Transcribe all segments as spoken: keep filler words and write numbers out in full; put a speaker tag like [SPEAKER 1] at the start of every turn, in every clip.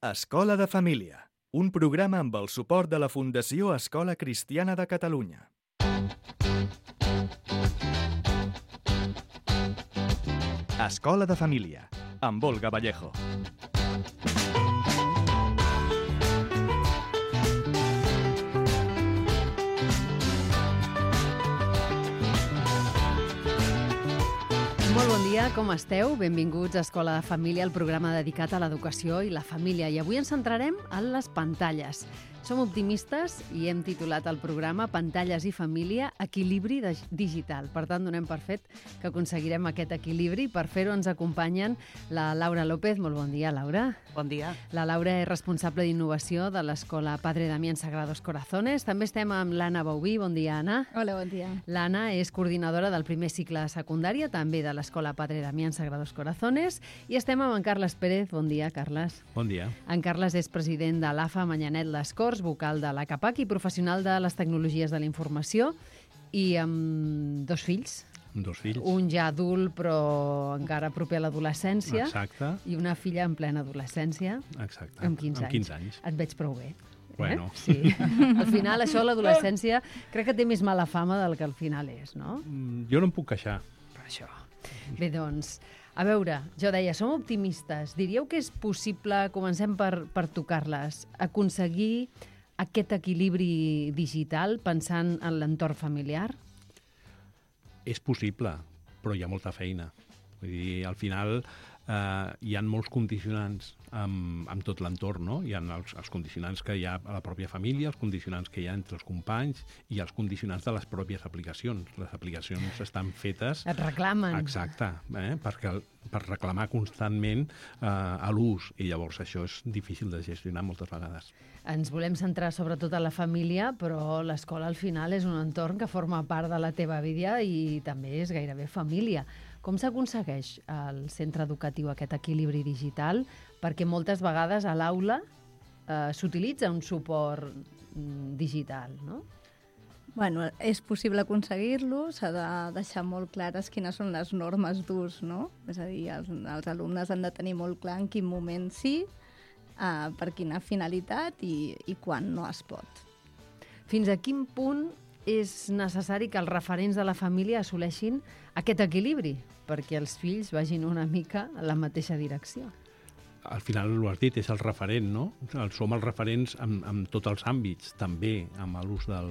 [SPEAKER 1] Escola de Família, un programa amb el suport de la Fundació Escola Cristiana de Catalunya. Escola de Família, amb Olga Vallejo.
[SPEAKER 2] Molt bon dia, com esteu? Benvinguts a Escola de Família, el programa dedicat a l'educació i la família. I avui ens centrarem en les pantalles. Som optimistes i hem titulat el programa Pantalles i família, equilibri digital. Per tant, donem per fet que aconseguirem aquest equilibri. Per fer-ho ens acompanyen la Laura López. Molt bon dia, Laura.
[SPEAKER 3] Bon dia.
[SPEAKER 2] La Laura és responsable d'innovació de l'Escola Padre Damián Sagrados Corazones. També estem amb l'Anna Bauví. Bon dia, Anna.
[SPEAKER 4] Hola, bon dia.
[SPEAKER 2] L'Anna és coordinadora del primer cicle de secundària, també de l'Escola Padre Damián Sagrados Corazones. I estem amb en Carles Pérez. Bon dia, Carles.
[SPEAKER 5] Bon dia.
[SPEAKER 2] En Carles és president de l'A F A Manyanet Les Corts, vocal de l'A C A P A C i professional de les tecnologies de la informació, i amb dos fills.
[SPEAKER 5] Dos fills.
[SPEAKER 2] Un ja adult, però encara proper a l'adolescència.
[SPEAKER 5] Exacte.
[SPEAKER 2] I una filla en plena adolescència.
[SPEAKER 5] Exacte.
[SPEAKER 2] Amb quinze
[SPEAKER 5] amb quinze anys.
[SPEAKER 2] Et veig prou bé.
[SPEAKER 5] Bueno.
[SPEAKER 2] Eh? Sí. Al final, això, l'adolescència, crec que té més mala fama del que al final és, no?
[SPEAKER 5] Jo no em puc queixar.
[SPEAKER 2] Per això. Bé, doncs, a veure, jo deia, som optimistes. Diríeu que és possible, comencem per, per tocar-les, aconseguir aquest equilibri digital pensant en l'entorn familiar?
[SPEAKER 5] És possible, però hi ha molta feina. Vull dir, al final eh, hi ha molts condicionants amb, amb tot l'entorn, no? Hi ha els, els condicionants que hi ha a la pròpia família, els condicionants que hi ha entre els companys i els condicionants de les pròpies aplicacions. Les aplicacions estan fetes...
[SPEAKER 2] Et reclamen.
[SPEAKER 5] Exacte, eh? Perquè, per reclamar constantment eh, a l'ús, i llavors això és difícil de gestionar moltes vegades.
[SPEAKER 2] Ens volem centrar sobretot a la família, però l'escola al final és un entorn que forma part de la teva vida i també és gairebé família. Com s'aconsegueix al centre educatiu aquest equilibri digital? Perquè moltes vegades a l'aula eh, s'utilitza un suport mm, digital, no?
[SPEAKER 4] Bueno, és possible aconseguir-lo, s'ha de deixar molt clares quines són les normes d'ús, no? És a dir, els, els alumnes han de tenir molt clar en quin moment sí, eh, per quina finalitat i, i quan no es pot.
[SPEAKER 2] Fins a quin punt és necessari que els referents de la família assoleixin aquest equilibri perquè els fills vagin una mica en la mateixa direcció?
[SPEAKER 5] Al final, ho has dit, és el referent, no? Som els referents en, en tots els àmbits, també amb l'ús del,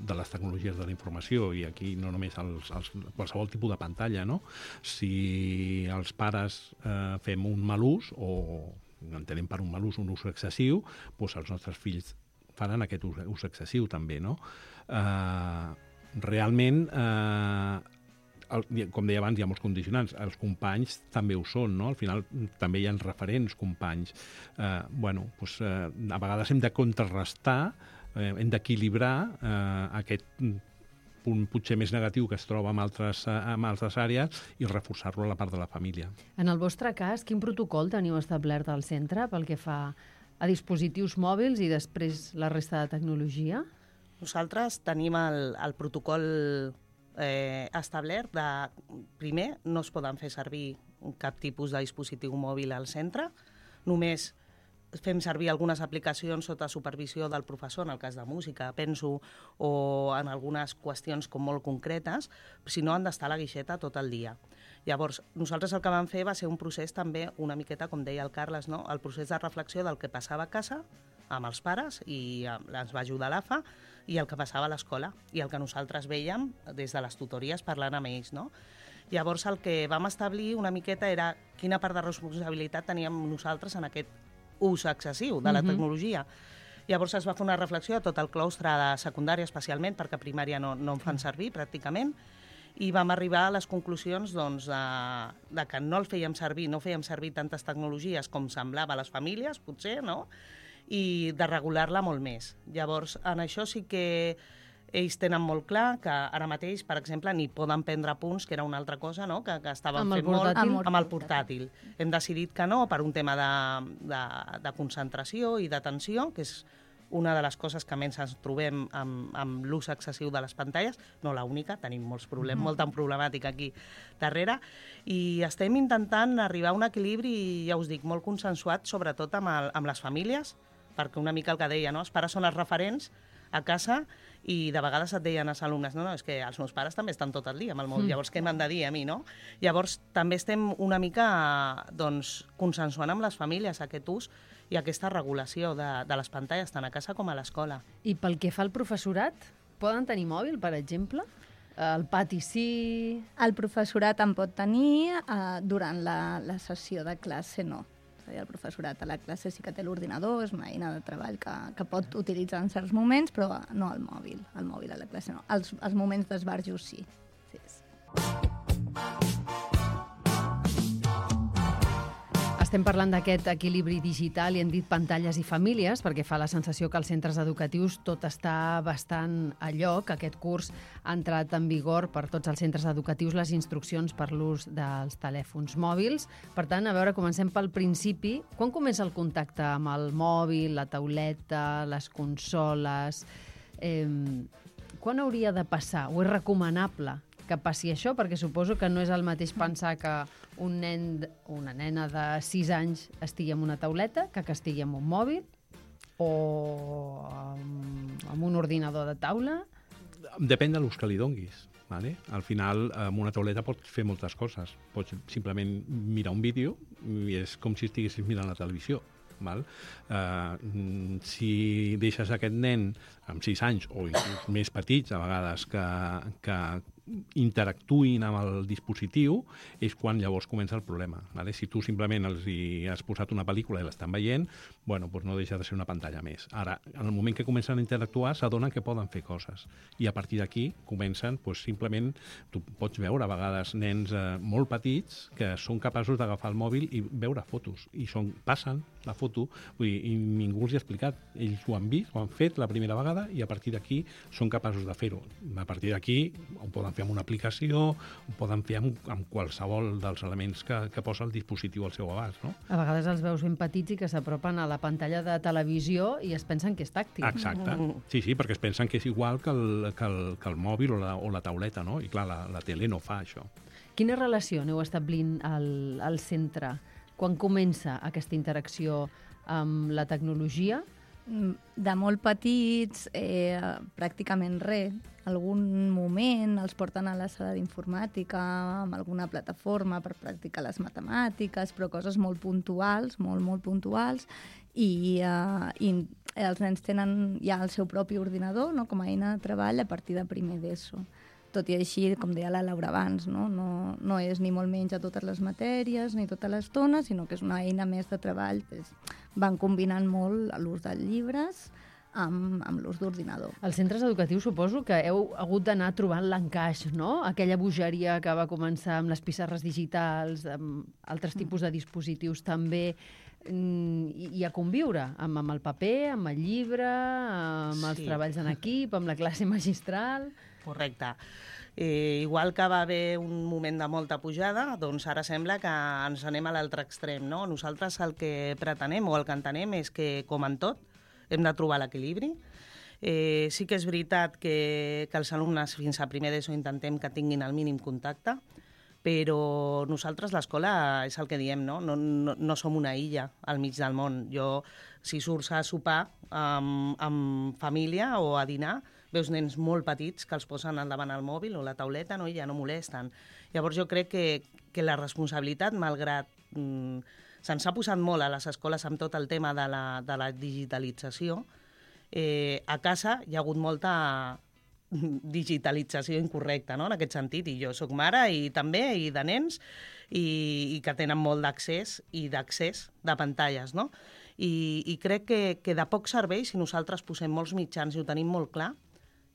[SPEAKER 5] de les tecnologies de la informació, i aquí no només els, els, qualsevol tipus de pantalla, no? Si els pares eh, fem un mal ús, o entenem per un mal ús un ús excessiu, doncs els nostres fills faran aquest ús, ús excessiu també, no? Eh, realment... Eh, El, com deia abans, hi ha molts condicionants. Els companys també ho són, no? Al final també hi ha referents companys. Eh, bueno, doncs, eh, a vegades hem de contrarrestar, eh, hem d'equilibrar eh, aquest punt potser més negatiu que es troba en altres, en altres àrees i reforçar-lo a la part de la família.
[SPEAKER 2] En el vostre cas, quin protocol teniu establert al centre pel que fa a dispositius mòbils i després la resta de tecnologia?
[SPEAKER 3] Nosaltres tenim el, el protocol Eh, establert de, primer, no es poden fer servir cap tipus de dispositiu mòbil al centre, només fem servir algunes aplicacions sota supervisió del professor, en el cas de música, penso, o en algunes qüestions com molt concretes, si no han d'estar a la guixeta tot el dia. Llavors, nosaltres el que vam fer va ser un procés també una miqueta, com deia el Carles, no? El procés de reflexió del que passava a casa amb els pares, i ens va ajudar l'A F A, i el que passava a l'escola, i el que nosaltres veiem des de les tutories parlant amb ells, no? Llavors, el que vam establir una miqueta era quina part de responsabilitat teníem nosaltres en aquest ús excessiu de la tecnologia. Uh-huh. Llavors es va fer una reflexió a tot el claustre de secundària, especialment, perquè a primària no, no en fan servir, pràcticament, i vam arribar a les conclusions doncs, de, de que no el fèiem servir, no fèiem servir tantes tecnologies com semblava a les famílies, potser, no?, i de regular-la molt més. Llavors, en això sí que ells tenen molt clar que ara mateix, per exemple, ni poden prendre punts, que era una altra cosa, no?, que, que estaven fent molt amb el portàtil. Hem decidit que no, per un tema de, de, de concentració i d'atenció, que és una de les coses que menys ens trobem amb, amb l'ús excessiu de les pantalles, no l'única, tenim molts problemes, mm. molta problemàtica aquí darrere, i estem intentant arribar a un equilibri, ja us dic, molt consensuat, sobretot amb, el, amb les famílies, perquè una mica el que deia, no? Els pares són els referents a casa i de vegades et deien als alumnes, no, no, és que els meus pares també estan tot el dia amb el mòbil, mm. llavors què m'han de dir a mi, no? Llavors també estem una mica doncs, consensuant amb les famílies aquest ús i aquesta regulació de, de les pantalles, tant a casa com a l'escola.
[SPEAKER 2] I pel que fa al professorat, poden tenir mòbil, per exemple? Al pati sí...
[SPEAKER 4] El professorat en pot tenir, eh, durant la, la sessió de classe no. És a dir, el professorat a la classe sí que té l'ordinador, és una eina de treball que, que pot utilitzar en certs moments, però no el mòbil. El mòbil a la classe no. Els, els moments d'esbarjo sí. sí, sí.
[SPEAKER 2] Estem parlant d'aquest equilibri digital i hem dit pantalles i famílies perquè fa la sensació que als centres educatius tot està bastant a lloc. Aquest curs ha entrat en vigor per tots els centres educatius les instruccions per l'ús dels telèfons mòbils. Per tant, a veure, comencem pel principi. Quan comença el contacte amb el mòbil, la tauleta, les consoles? Eh, quan hauria de passar? O és recomanable que passi això? Perquè suposo que no és el mateix pensar que un nen, una nena de sis anys estigui amb una tauleta que que estigui amb un mòbil o amb, amb un ordinador de taula.
[SPEAKER 5] Depèn de l'ús que li donguis. Vale? Al final, amb una tauleta pots fer moltes coses. Pots simplement mirar un vídeo i és com si estiguessis mirant la televisió. Val? Uh, si deixes aquest nen amb sis anys o inclús més petits, a vegades, que, que interactuïn amb el dispositiu, és quan llavors comença el problema. Vale? Si tu simplement els hi has posat una pel·lícula i l'estan veient, bueno, doncs no deixa de ser una pantalla més. Ara, en el moment que comencen a interactuar, s'adonen que poden fer coses. I a partir d'aquí comencen, doncs, simplement, tu pots veure a vegades nens eh, molt petits que són capaços d'agafar el mòbil i veure fotos. I són, passen la foto, vull dir, i ningú els hi ha explicat. Ells ho han vist, ho han fet la primera vegada i a partir d'aquí són capaços de fer-ho. A partir d'aquí ho poden fer amb una aplicació, ho poden fer amb, amb qualsevol dels elements que, que posa el dispositiu al seu abast, no?
[SPEAKER 2] A vegades els veus ben petits i que s'apropen a la pantalla de televisió i es pensen que és tàctil.
[SPEAKER 5] Exacte. Sí, sí, perquè es pensen que és igual que el, que el, que el mòbil o la, o la tauleta, no? I clar, la, la tele no fa això.
[SPEAKER 2] Quina relació aneu establint al, al centre? Quan comença aquesta interacció amb la tecnologia?
[SPEAKER 4] De molt petits, eh, pràcticament res. Algun moment els porten a la sala d'informàtica amb alguna plataforma per practicar les matemàtiques, però coses molt puntuals, molt, molt puntuals, i, eh, i els nens tenen ja el seu propi ordinador, no?, com a eina de treball a partir de primer d'ESO. Tot i així, com deia la Laura abans, no? No, no és ni molt menys a totes les matèries ni tota l'estona, sinó que és una eina més de treball. Pues, van combinant molt l'ús dels llibres amb, amb l'ús d'ordinador.
[SPEAKER 2] Als centres educatius suposo que heu hagut d'anar trobant l'encaix, no? Aquella bogeria que va començar amb les pissarres digitals, amb altres tipus de dispositius també, i, i a conviure amb, amb el paper, amb el llibre, amb els
[SPEAKER 3] sí. treballs
[SPEAKER 2] en equip, amb la classe magistral...
[SPEAKER 3] Correcte. Eh, igual que va haver un moment de molta pujada, doncs ara sembla que ens anem a l'altre extrem, no? Nosaltres el que pretenem o el que entenem és que, com en tot, hem de trobar l'equilibri. Eh, sí que és veritat que, que els alumnes fins a primer d'ESO intentem que tinguin el mínim contacte, però nosaltres, l'escola, és el que diem, no? No, no, no som una illa al mig del món. Jo, si surts a sopar amb, amb família o a dinar, veus nens molt petits que els posen al davant el mòbil o la tauleta, no? I ja no molesten. Llavors jo crec que, que la responsabilitat, malgrat mm, se'ns ha posat molt a les escoles amb tot el tema de la, de la digitalització, eh, a casa hi ha hagut molta digitalització incorrecta, no?, en aquest sentit. I jo sóc mare i també, i de nens, i, i que tenen molt d'accés i d'accés de pantalles, no? I, i crec que, que de poc servei si nosaltres posem molts mitjans i ho tenim molt clar,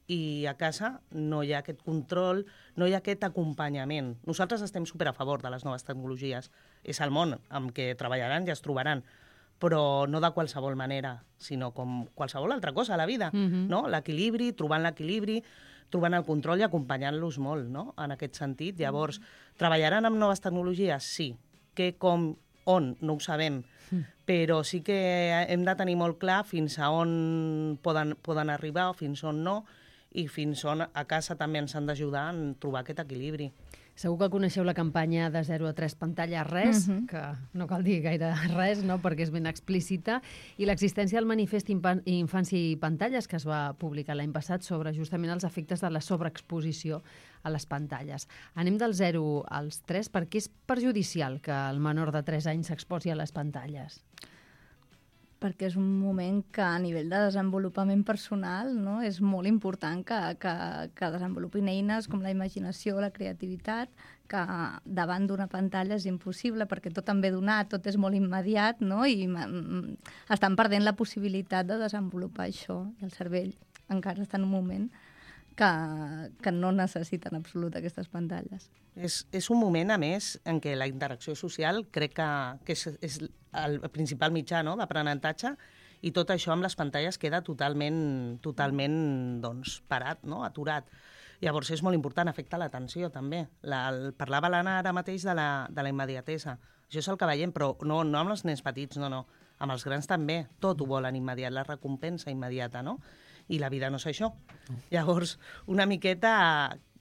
[SPEAKER 3] i a casa no hi ha aquest control, no hi ha aquest acompanyament. Nosaltres estem super a favor de les noves tecnologies. És el món amb què treballaran i es trobaran, però no de qualsevol manera, sinó com qualsevol altra cosa a la vida, mm-hmm. no? L'equilibri, trobant l'equilibri, trobant el control i acompanyant-los molt, no?, en aquest sentit. Llavors, treballaran amb noves tecnologies? Sí. Què, com, on? No ho sabem. Mm. però sí que hem de tenir molt clar fins a on poden, poden arribar o fins on no, i fins on a casa també ens han d'ajudar a trobar aquest equilibri.
[SPEAKER 2] Segur que coneixeu la campanya de zero a tres pantalles res, uh-huh. que no cal dir gaire res, no?, perquè és ben explícita, i l'existència del manifest Infància i Pantalles, que es va publicar l'any passat sobre justament els efectes de la sobreexposició a les pantalles. Anem del zero als tres, perquè és perjudicial que el menor de tres anys s'exposi a les pantalles.
[SPEAKER 4] Perquè és un moment que a nivell de desenvolupament personal, no, és molt important que, que, que desenvolupin eines com la imaginació, la creativitat, que davant d'una pantalla és impossible perquè tot em ve donat, tot és molt immediat, no? I estan perdent la possibilitat de desenvolupar això. I el cervell encara està en un moment que, que no necessiten en absolut aquestes pantalles.
[SPEAKER 3] És, és un moment, a més, en què la interacció social crec que, que és, és el principal mitjà, no?, d'aprenentatge, i tot això amb les pantalles queda totalment, totalment doncs, parat, no?, aturat. Llavors és molt important, afecta l'atenció també. La, el, parlava l'Anna ara mateix de la, de la immediatesa. Això és el que veiem, però no, no amb els nens petits, no, no. Amb els grans també, tot ho volen immediat, la recompensa immediata, no? I la vida no és això. Llavors, una miqueta,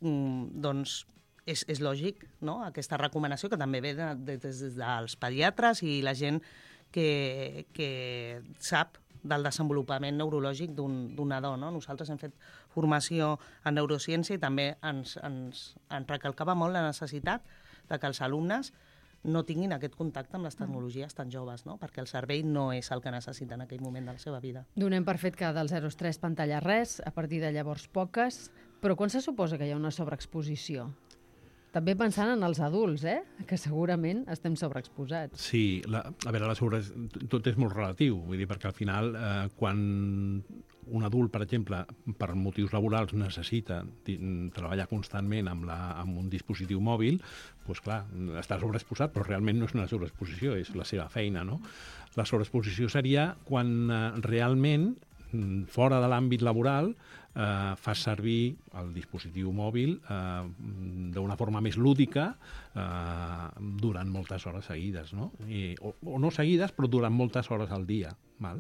[SPEAKER 3] doncs, és, és lògic, no?, aquesta recomanació que també ve de, de, des dels pediatres i la gent que, que sap del desenvolupament neurològic d'un nadó, no? Nosaltres hem fet formació en neurociència i també ens, ens, ens recalcava molt la necessitat de que els alumnes no tinguin aquest contacte amb les tecnologies tan joves, no? Perquè el cervell no és el que necessita en aquell moment de la seva vida.
[SPEAKER 2] Donem per fet que del zero als tres pantalla res, a partir de llavors poques, però quan se suposa que hi ha una sobreexposició? També pensant en els adults, eh? Que segurament estem sobreexposats.
[SPEAKER 5] Sí, la, a veure, la sobre... tot és molt relatiu, vull dir, perquè al final, eh, quan un adult, per exemple, per motius laborals necessita treballar constantment amb, la, amb un dispositiu mòbil, doncs clar, està sobreexposat, però realment no és una sobreexposició, és la seva feina, no? La sobreexposició seria quan eh, realment, fora de l'àmbit laboral, eh, fas servir el dispositiu mòbil eh, d'una forma més lúdica eh, durant moltes hores seguides, no? I, o, o no seguides, però durant moltes hores al dia. Val?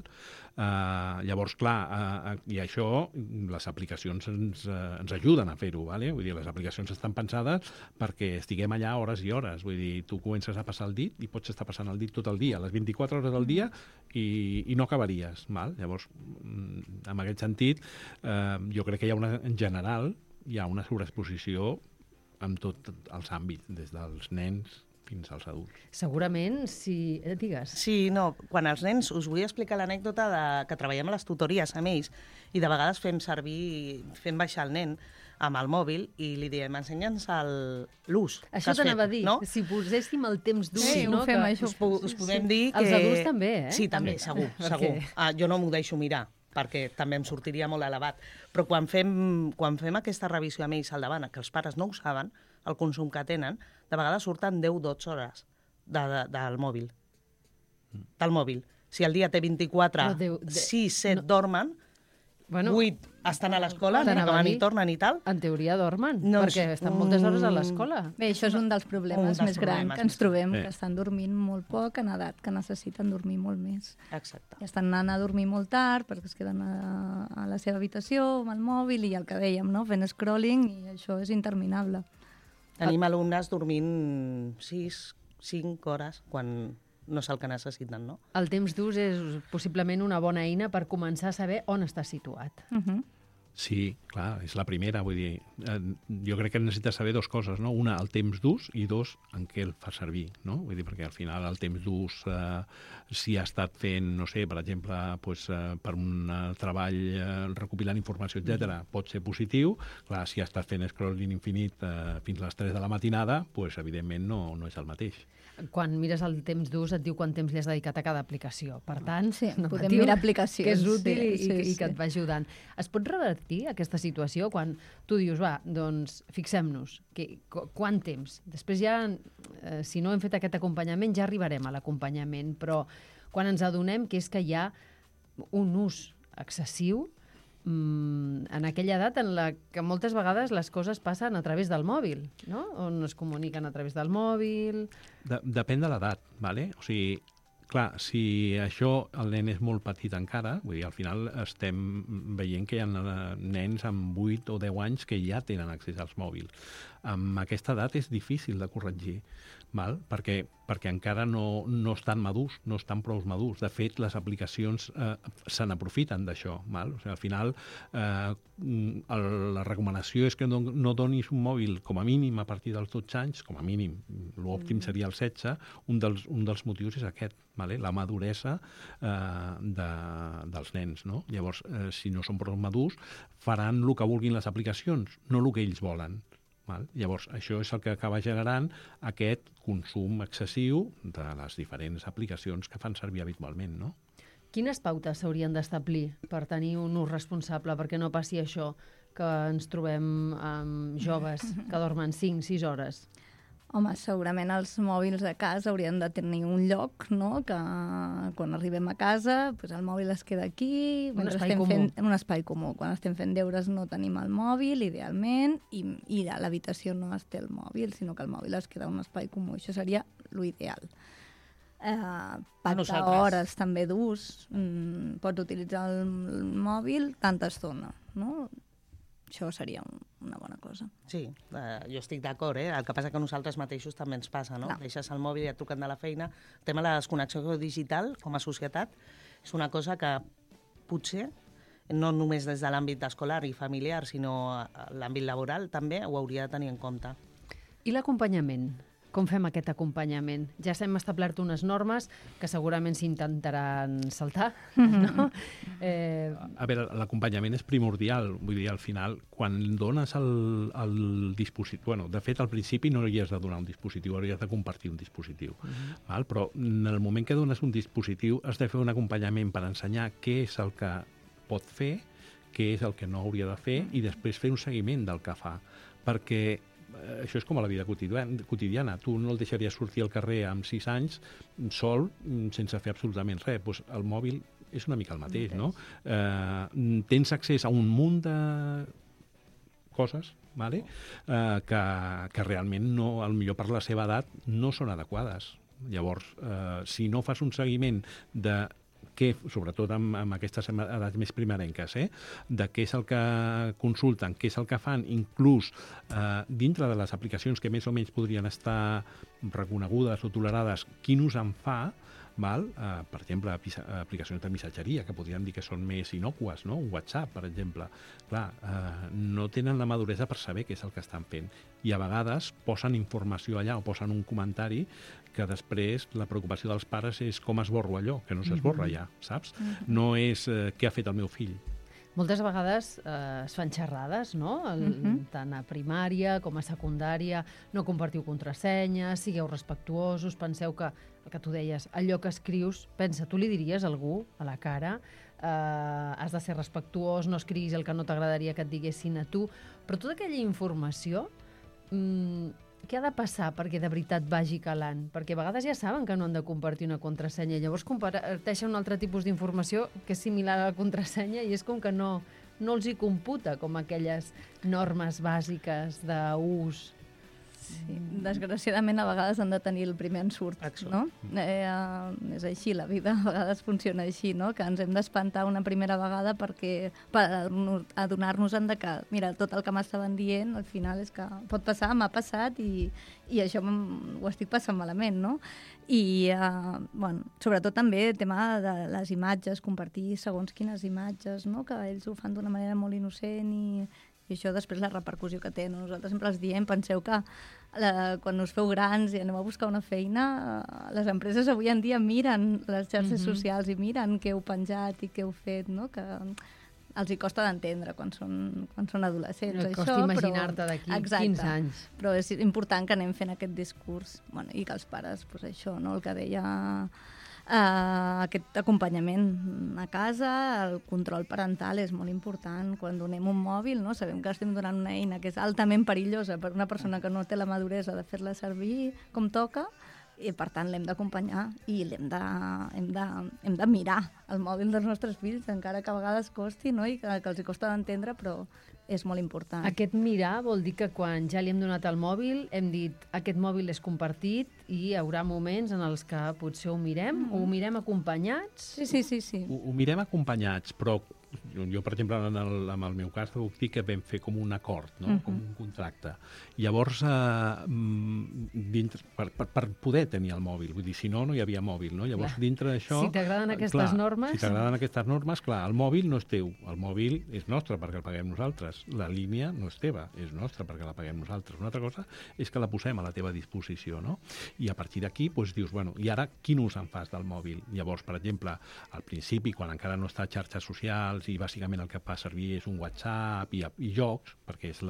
[SPEAKER 5] Eh, llavors, clar, eh, i això, les aplicacions ens, eh, ens ajuden a fer-ho, vale? Vull dir, les aplicacions estan pensades perquè estiguem allà hores i hores. Vull dir, tu comences a passar el dit i pots estar passant el dit tot el dia, les vint-i-quatre hores del dia, i, i no acabaries. Val? Llavors, en aquest sentit, eh, jo crec que hi ha una, en general, hi ha una sobreexposició en tots els àmbits, des dels nens fins als adults.
[SPEAKER 2] Segurament, si... Eh, digues.
[SPEAKER 3] Sí, no, quan els nens... Us vull explicar l'anècdota de que treballem a les tutories amb ells i de vegades fem servir, fem baixar el nen amb el mòbil i li diem, ensenya'ns l'ús.
[SPEAKER 2] Això t'anava a dir, no? Si poséssim el temps d'ús,
[SPEAKER 4] sí,
[SPEAKER 2] no?
[SPEAKER 4] Ho fem,
[SPEAKER 2] que...
[SPEAKER 4] això.
[SPEAKER 3] Us, pu us podem dir que...
[SPEAKER 2] Els adults també, eh?
[SPEAKER 3] Sí, també, segur, segur. Ah, jo no m'ho deixo mirar, perquè també em sortiria molt elevat. Però quan fem, quan fem aquesta revisió amb ells al davant, que els pares no ho saben, el consum que tenen, de vegades surten deu a dotze hores de, de, del mòbil. Del mòbil. Si el dia té vint-i-quatre, sis, set no. dormen, bueno, vuit estan a l'escola, acaben i tornen i tal.
[SPEAKER 2] En teoria dormen, no, perquè estan moltes hores a l'escola.
[SPEAKER 4] Bé, això és un dels problemes un dels més grans que ens trobem, sí. Que estan dormint molt poc en edat, que necessiten dormir molt més.
[SPEAKER 3] Exacte.
[SPEAKER 4] I estan anant a dormir molt tard perquè es queden a, a la seva habitació amb el mòbil i el que dèiem, no? Fent scrolling, i això és interminable.
[SPEAKER 3] Tenim alumnes dormint sis, cinc hores quan no és el que necessiten, no?
[SPEAKER 2] El temps d'ús és possiblement una bona eina per començar a saber on està situat.
[SPEAKER 4] Uh-huh.
[SPEAKER 5] Sí, clar, és la primera, vull dir, eh, jo crec que necessites saber dues coses, no? Una, el temps d'ús, i dos, en què el fa servir, no? Vull dir, perquè al final el temps d'ús, eh, si ha estat fent, no sé, per exemple, pues, eh, per un eh, treball eh, recopilant informació, etcètera, pot ser positiu. Clar, si ha estat fent scrolling infinit eh, fins a les tres de la matinada, pues, evidentment no, no és el mateix.
[SPEAKER 2] Quan mires el temps d'ús et diu quant temps li has dedicat a cada aplicació. Per tant,
[SPEAKER 4] sí,
[SPEAKER 2] no
[SPEAKER 4] podem mirar aplicacions.
[SPEAKER 2] Que és útil
[SPEAKER 4] sí,
[SPEAKER 2] i,
[SPEAKER 4] sí,
[SPEAKER 2] i,
[SPEAKER 4] sí.
[SPEAKER 2] i que et va ajudant. Es pot revertir aquesta situació quan tu dius, va, doncs fixem-nos, que, quant temps? Després ja, eh, si no hem fet aquest acompanyament, ja arribarem a l'acompanyament, però quan ens adonem que és que hi ha un ús excessiu en aquella edat en la que moltes vegades les coses passen a través del mòbil, no? On es comuniquen a través del mòbil...
[SPEAKER 5] De, depèn de l'edat, ¿vale? O sigui, clar, si això el nen és molt petit encara, vull dir, al final estem veient que hi ha nens amb vuit o deu anys que ja tenen accés als mòbils. Amb aquesta edat és difícil de corregir, val? Perquè, perquè encara no, no estan madurs, no estan prou madurs. De fet, les aplicacions eh, se n'aprofiten d'això. Val? O sigui, al final, eh, el, la recomanació és que no, no donis un mòbil com a mínim a partir dels dotze anys, com a mínim, l'òptim seria el setze, un dels, un dels motius és aquest, vale? La maduresa eh, de, dels nens. No? Llavors, eh, si no són prou madurs, faran el que vulguin les aplicacions, no el que ells volen. Val? Llavors, això és el que acaba generant aquest consum excessiu de les diferents aplicacions que fan servir habitualment, no?
[SPEAKER 2] Quines pautes s'haurien d'establir per tenir un ús responsable, perquè no passi això que ens trobem amb joves que dormen cinc sis hores?
[SPEAKER 4] Home, segurament els mòbils de casa haurien de tenir un lloc, no?, que quan arribem a casa pues el mòbil es queda aquí,
[SPEAKER 2] un espai comú.
[SPEAKER 4] Fent, un espai comú. Quan estem fent deures no tenim el mòbil, idealment, i, i a l'habitació no es té el mòbil, sinó que el mòbil es queda en un espai comú. Això seria l'ideal. Eh, pactar hores també d'ús. Mm, pots utilitzar el, el mòbil tanta estona, no? Això seria un, una bona cosa.
[SPEAKER 3] Sí, eh, jo estic d'acord, eh? El que passa que a nosaltres mateixos també ens passa, no?
[SPEAKER 4] Clar.
[SPEAKER 3] Deixes el mòbil i et truquen de la feina. El tema de la desconnexió digital, com a societat, és una cosa que potser, no només des de l'àmbit escolar i familiar, sinó a l'àmbit laboral, també ho hauria de tenir en compte.
[SPEAKER 2] I l'acompanyament? Com fem aquest acompanyament? Ja s'hem establert unes normes que segurament s'intentaran saltar, no? Eh...
[SPEAKER 5] A veure, l'acompanyament és primordial. Vull dir, al final, quan dones el, el dispositiu... Bueno, de fet, al principi no hi has de donar un dispositiu, hauries de compartir un dispositiu. Uh-huh. Val? Però en el moment que dones un dispositiu has de fer un acompanyament per ensenyar què és el que pot fer, què és el que no hauria de fer, i després fer un seguiment del que fa. Perquè això és com a la vida quotidiana. Tu no el deixaries sortir al carrer amb sis anys sol, sense fer absolutament res. Pues el mòbil és una mica el mateix, no? Eh, tens accés a un munt de coses, vale? eh, que, que realment, no, al millor per la seva edat, no són adequades. Llavors, eh, si no fas un seguiment de que, sobretot amb, amb aquestes edats més primerenques, eh? de què és el que consulten, què és el que fan, inclús eh, dintre de les aplicacions que més o menys podrien estar reconegudes o tolerades, quin ús en fa, val? Eh, per exemple, aplicacions de missatgeria, que podríem dir que són més inocues, no? Un WhatsApp, per exemple. Clar, eh, no tenen la maduresa per saber què és el que estan fent. I a vegades posen informació allà o posen un comentari que després la preocupació dels pares és com esborro allò, que no s'esborra ja, saps? Mm-hmm. No és eh, què ha fet el meu fill.
[SPEAKER 2] Moltes vegades eh, es fan xerrades, no? El, mm-hmm. tant a primària com a secundària. No compartiu contrasenyes, sigueu respectuosos, penseu que, el que tu deies, allò que escrius, pensa, tu li diries a algú a la cara, eh, has de ser respectuós, no escriguis el que no t'agradaria que et diguessin a tu, però tota aquella informació, mmm, què ha de passar perquè de veritat vagi calant? Perquè a vegades ja saben que no han de compartir una contrasenya, llavors comparteixen un altre tipus d'informació que és similar a la contrasenya i és com que no, no els hi computa com aquelles normes bàsiques d'ús.
[SPEAKER 4] Sí, desgraciadament a vegades han de tenir el primer ensurt, no? Eh, eh, és així, la vida a vegades funciona així, no? Que ens hem d'espantar una primera vegada perquè per adonar-nos-en de que, mira, tot el que m'estaven dient al final és que pot passar, m'ha passat i, i això ho estic passant malament, no? I, eh, bueno, sobretot també el tema de les imatges, compartir segons quines imatges, no? Que ells ho fan d'una manera molt innocent i i això després la repercussió que té. Nosaltres sempre els diem, penseu que la, quan us feu grans i aneu a buscar una feina, les empreses avui en dia miren les xarxes mm-hmm. socials i miren què heu penjat i què heu fet, no? Que els hi costa d'entendre quan són, quan són adolescents.
[SPEAKER 2] No,
[SPEAKER 4] això,
[SPEAKER 2] costa imaginar-te d'aquí quinze anys.
[SPEAKER 4] Però és important que anem fent aquest discurs, bueno, i que els pares, pues això, no? El que deia... Uh, aquest acompanyament a casa, el control parental és molt important. Quan donem un mòbil, no? Sabem que estem donant una eina que és altament perillosa per una persona que no té la maduresa de fer-la servir com toca, i per tant l'hem d'acompanyar i l'hem de, hem de, hem de mirar el mòbil dels nostres fills, encara que a vegades costi, no? I que, que els hi costa d'entendre, però és molt important.
[SPEAKER 2] Aquest mirar vol dir que quan ja li hem donat el mòbil hem dit aquest mòbil és compartit i hi haurà moments en els que potser ho mirem mm -hmm. o ho mirem acompanyats?
[SPEAKER 4] Sí, sí, sí. sí.
[SPEAKER 5] Ho, ho mirem acompanyats, però jo, jo per exemple, en el, en el meu cas, puc dir que vam fer com un acord, no? Mm -hmm. com un contracte. Llavors, eh, dintre, per, per, per poder tenir el mòbil, vull dir, si no, no hi havia mòbil, no? Llavors, clar, dintre d'això...
[SPEAKER 2] Si t'agraden aquestes
[SPEAKER 5] clar,
[SPEAKER 2] normes...
[SPEAKER 5] Si t'agraden aquestes normes, clar, el mòbil no és teu, el mòbil és nostre perquè el paguem nosaltres, la línia no és teva, és nostra perquè la paguem nosaltres. Una altra cosa és que la posem a la teva disposició, no? I a partir d'aquí, doncs, dius, bueno, i ara quin ús en fas del mòbil? Llavors, per exemple, al principi, quan encara no està a xarxes socials i bàsicament el que fa servir és un WhatsApp i, i jocs, perquè és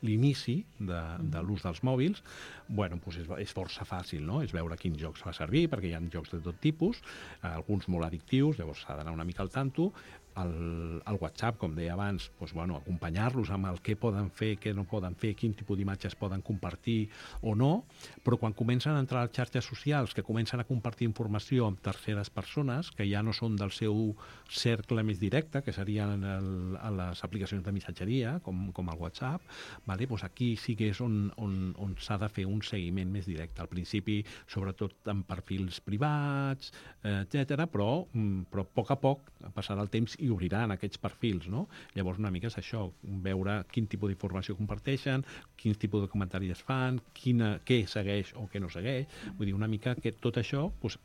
[SPEAKER 5] l'inici de, de l'ús dels mòbils, bueno, doncs és, és força fàcil, no? És veure quins jocs fa servir, perquè hi ha jocs de tot tipus, alguns molt addictius, llavors s'ha d'anar una mica al tanto. El, el WhatsApp, com deia abans, doncs, bueno, acompanyar-los amb el què poden fer, què no poden fer, quin tipus d'imatges poden compartir o no, però quan comencen a entrar a les xarxes socials, que comencen a compartir informació amb terceres persones, que ja no són del seu cercle més directe, que serien el, a les aplicacions de missatgeria, com, com el WhatsApp, vale? Doncs aquí sí que és on, on, on s'ha de fer un seguiment més directe. Al principi, sobretot amb perfils privats, eh, etcètera, però, però a poc a poc passarà el temps i obriran aquests perfils, no? Llavors una mica és això, veure quin tipus d'informació comparteixen, quins tipus de comentaris fan, quina, què segueix o què no segueix. Vull dir, una mica que tot això, doncs,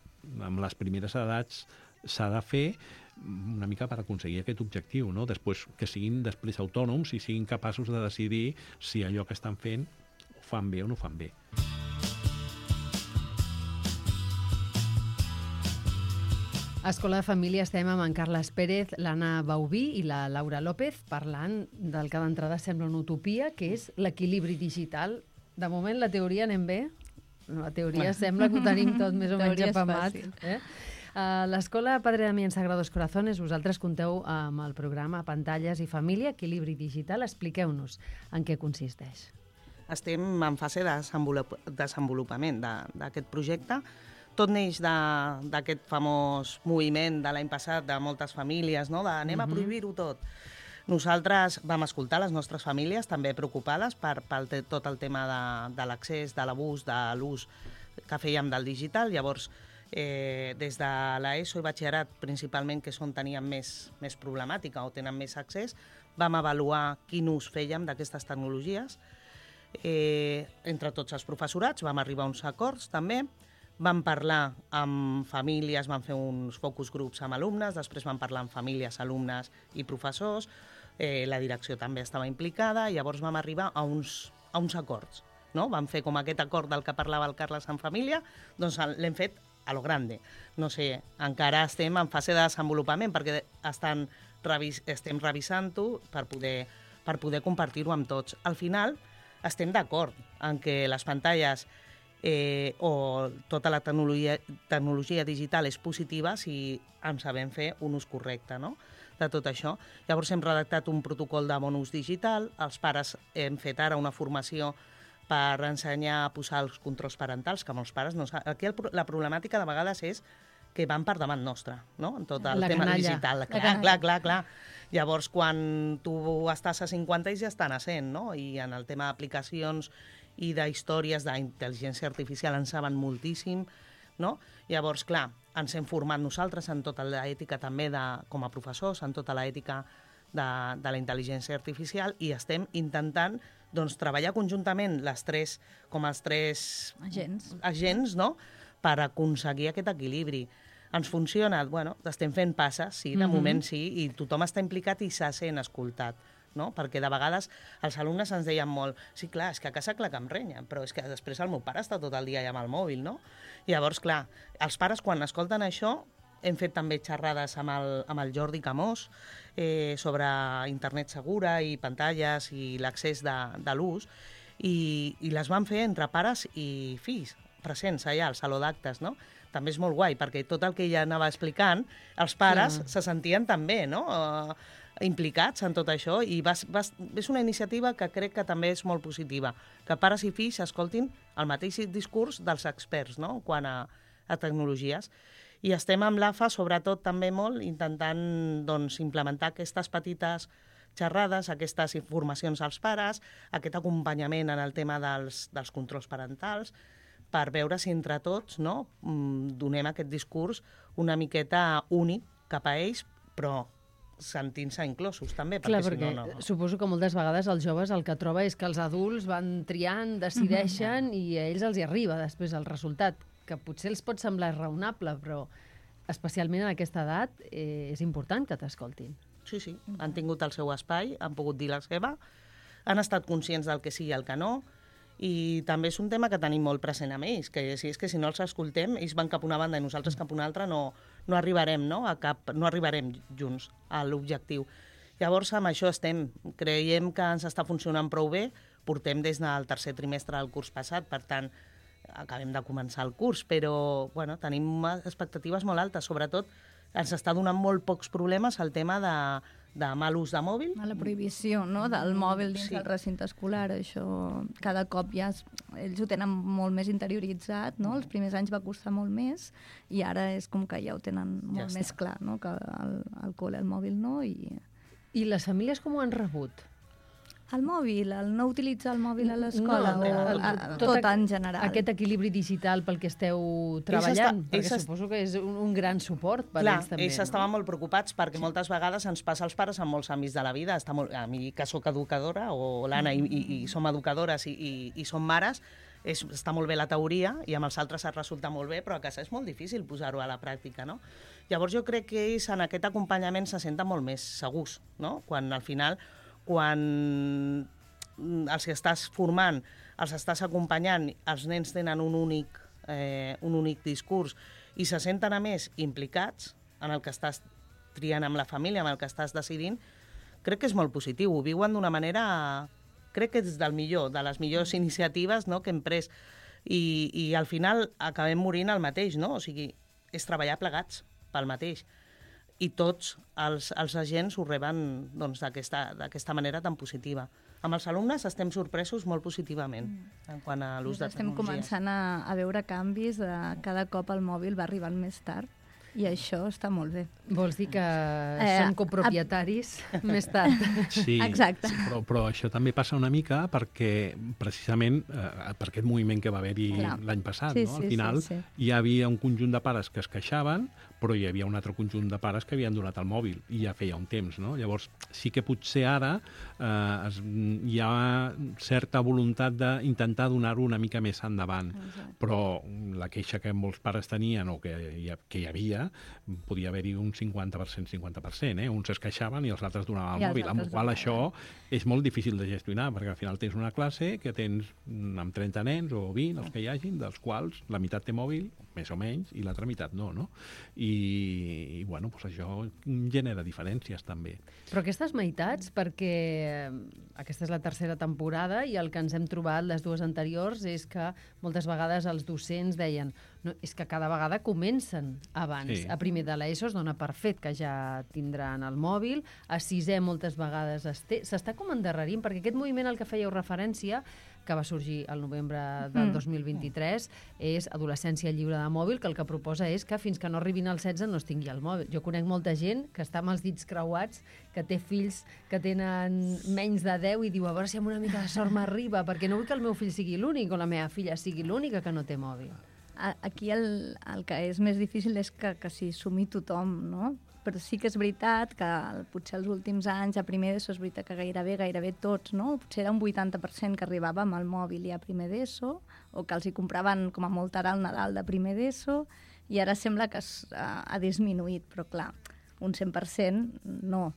[SPEAKER 5] amb les primeres edats s'ha de fer una mica per aconseguir aquest objectiu, no? Després, que siguin després autònoms i siguin capaços de decidir si allò que estan fent ho fan bé o no ho fan bé.
[SPEAKER 2] A Escola de Família estem amb en Carles Pérez, l'Anna Baubí i la Laura López parlant del que d'entrada sembla una utopia, que és l'equilibri digital. De moment la teoria anem bé? La teoria sembla que ho tenim tot més o menys apamat. Eh? A l'Escola Padre Damián Sagrados Corazones vosaltres compteu amb el programa Pantalles i Família, Equilibri Digital. Expliqueu-nos en què consisteix.
[SPEAKER 3] Estem en fase de desenvolupament d'aquest projecte. Tot neix d'aquest famós moviment de l'any passat de moltes famílies, no? De anem a prohibir-ho tot. Nosaltres vam escoltar les nostres famílies també preocupades per, per tot el tema de, de l'accés, de l'abús, de l'ús que fèiem del digital. Llavors, eh, des de l'ESO i batxillerat, principalment, que és on teníem més, més problemàtica o tenen més accés, vam avaluar quin ús fèiem d'aquestes tecnologies. Eh, entre tots els professorats vam arribar a uns acords també. Vam parlar amb famílies, vam fer uns focus groups amb alumnes, després vam parlar amb famílies, alumnes i professors, eh, la direcció també estava implicada, i llavors vam arribar a uns, a uns acords. No? Vam fer com aquest acord del que parlava el Carles en família, doncs l'hem fet a lo grande. No sé, encara estem en fase de desenvolupament perquè estan revis, estem revisant-ho per poder, per poder compartir-ho amb tots. Al final estem d'acord en que les pantalles Eh, o tota la tecnologia, tecnologia digital és positiva si en sabem fer un ús correcte, no? De tot això. Llavors hem redactat un protocol de bon ús digital, els pares hem fet ara una formació per ensenyar a posar els controls parentals, que molts pares no saben. Aquí el, la problemàtica de vegades és que van per davant nostre, no? En tot el
[SPEAKER 2] la
[SPEAKER 3] tema
[SPEAKER 2] canalla.
[SPEAKER 3] digital. Clar, clar, clar, clar. Llavors, quan tu estàs a cinquanta, ells ja estan a cent, no? I en el tema d'aplicacions i d'històries d'intel·ligència artificial en saben moltíssim, no? Llavors, clar, ens hem format nosaltres en tota l'ètica també de, com a professors, en tota l'ètica de, de la intel·ligència artificial, i estem intentant doncs, treballar conjuntament les tres, com els tres
[SPEAKER 4] agents,
[SPEAKER 3] agents no? Per aconseguir aquest equilibri. Ens funciona? Bueno, estem fent passes, sí, de mm-hmm. moment sí, i tothom està implicat i se sent escoltat. No? Perquè de vegades els alumnes ens deien molt sí, clar, és que a casa clar que em renya, però és que després el meu pare està tot el dia allà amb el mòbil, no? Llavors, clar, els pares quan escolten això, hem fet també xerrades amb el, amb el Jordi Camós eh, sobre internet segura i pantalles i l'accés de, de l'ús, i, i les van fer entre pares i fills, presents allà al saló d'actes, no? També és molt guai, perquè tot el que ella anava explicant, els pares sí. se sentien també, no? Uh, implicats en tot això i va, va, és una iniciativa que crec que també és molt positiva, que pares i fills escoltin el mateix discurs dels experts, no?, quan a, a tecnologies. I estem amb l'A F A, sobretot, també molt, intentant doncs, implementar aquestes petites xerrades, aquestes informacions als pares, aquest acompanyament en el tema dels, dels controls parentals, per veure si entre tots, no?, donem aquest discurs una miqueta únic cap a ells, però sentint-se inclosos també.
[SPEAKER 2] Clar,
[SPEAKER 3] perquè,
[SPEAKER 2] perquè
[SPEAKER 3] si no, no...
[SPEAKER 2] suposo que moltes vegades els joves el que troba és que els adults van triant, decideixen mm-hmm. i a ells els hi arriba després el resultat, que potser els pot semblar raonable, però especialment en aquesta edat eh, és important que t'escoltin.
[SPEAKER 3] Sí, sí, han tingut el seu espai, han pogut dir la seva, han estat conscients del que sí i el que no, i també és un tema que tenim molt present amb ells, que si és que si no els escoltem, ells van cap a una banda i nosaltres cap a una altra, no, no arribarem, no? A cap, no arribarem junts a l'objectiu. Llavors, amb això estem. Creiem que ens està funcionant prou bé, portem des del tercer trimestre del curs passat, per tant, acabem de començar el curs, però bueno, tenim expectatives molt altes, sobretot ens està donant molt pocs problemes el tema de de mal ús de mòbil.
[SPEAKER 4] A la prohibició, no?, del mòbil dins sí. del recinte escolar. Això cada cop ja es, ells ho tenen molt més interioritzat, no? Els primers anys va costar molt més i ara és com que ja ho tenen molt ja més està. clar, no?, que el, el col·le, el mòbil no. I...
[SPEAKER 2] I les famílies com ho han rebut?
[SPEAKER 4] El mòbil, el no utilitzar el mòbil a l'escola, no, o el, el, tot, tot en general.
[SPEAKER 2] Aquest equilibri digital pel que esteu treballant, està, perquè est... suposo que és un, un gran suport per
[SPEAKER 3] Clar,
[SPEAKER 2] ells també.
[SPEAKER 3] ells no? estaven molt preocupats perquè sí. moltes vegades ens passa als pares amb molts amics de la vida. Està molt, a mi, que sóc educadora, o l'Anna, mm. i, i, i som educadores i, i, i som mares, és, està molt bé la teoria i amb els altres es resulta molt bé, però a casa és molt difícil posar-ho a la pràctica, no? Llavors jo crec que ells en aquest acompanyament se senten molt més segurs, no? Quan al final quan els que estàs formant, els estàs acompanyant, els nens tenen un únic, eh, un únic discurs i se senten a més implicats en el que estàs triant amb la família, amb el que estàs decidint, crec que és molt positiu. Ho viuen d'una manera, crec que és del millor, de les millors iniciatives, no?, que hem pres. I, i al final acabem morint el mateix, no? O sigui, és treballar plegats pel mateix. I tots els, els agents ho reben doncs, d'aquesta manera tan positiva. Amb els alumnes estem sorpresos molt positivament mm. en quant a l'ús de
[SPEAKER 4] estem
[SPEAKER 3] tecnologies.
[SPEAKER 4] Estem començant a, a veure canvis, de cada cop el mòbil va arribant més tard i això està molt bé.
[SPEAKER 2] Vols dir que eh, som copropietaris a... més tard?
[SPEAKER 5] Sí,
[SPEAKER 4] exacte.
[SPEAKER 5] Sí, però, però això també passa una mica perquè precisament eh, per aquest moviment que va haver-hi l'any passat,
[SPEAKER 4] sí,
[SPEAKER 5] no?
[SPEAKER 4] Sí,
[SPEAKER 5] al final
[SPEAKER 4] sí, sí.
[SPEAKER 5] hi havia un conjunt de pares que es queixaven, però hi havia un altre conjunt de pares que havien donat el mòbil i ja feia un temps, no? Llavors sí que potser ara eh, es, hi ha certa voluntat d'intentar donar-ho una mica més endavant, exacte. Però la queixa que molts pares tenien o que hi, que hi havia podia haver-hi un cinquanta per cent, cinquanta per cent, eh? Uns es queixaven i els altres donaven el mòbil, amb el qual això és molt difícil de gestionar, perquè al final tens una classe que tens amb trenta nens o vint, els que hi hagin, dels quals la meitat té mòbil, més o menys, i l'altra meitat no, no? I, i bueno, doncs això genera diferències també.
[SPEAKER 2] Però aquestes meitats, perquè aquesta és la tercera temporada i el que ens hem trobat les dues anteriors és que moltes vegades els docents deien no, és que cada vegada comencen abans. Sí. A primer de l'ESO es dona per fet que ja tindran el mòbil, a sisè moltes vegades s'està com endarrerint, perquè aquest moviment al que fèieu referència, que va sorgir al novembre del dos mil vint-i-tres, és adolescència lliure de mòbil, que el que proposa és que fins que no arribin als setze no es tingui el mòbil. Jo conec molta gent que està amb els dits creuats, que té fills que tenen menys de deu i diu a veure si amb una mica de sort m'arriba, perquè no vull que el meu fill sigui l'únic o la meva filla sigui l'única que no té mòbil.
[SPEAKER 4] Aquí el, el que és més difícil és que, que s'hi sumi tothom, no? Però sí que és veritat que potser els últims anys, a primer d'ESO, és veritat que gairebé, gairebé tots, no? Potser era un vuitanta per cent que arribava amb el mòbil ja a primer d'ESO, o que els hi compraven com a molt ara el Nadal de primer d'ESO, i ara sembla que es, uh, ha disminuït, però clar, un cent per cent no.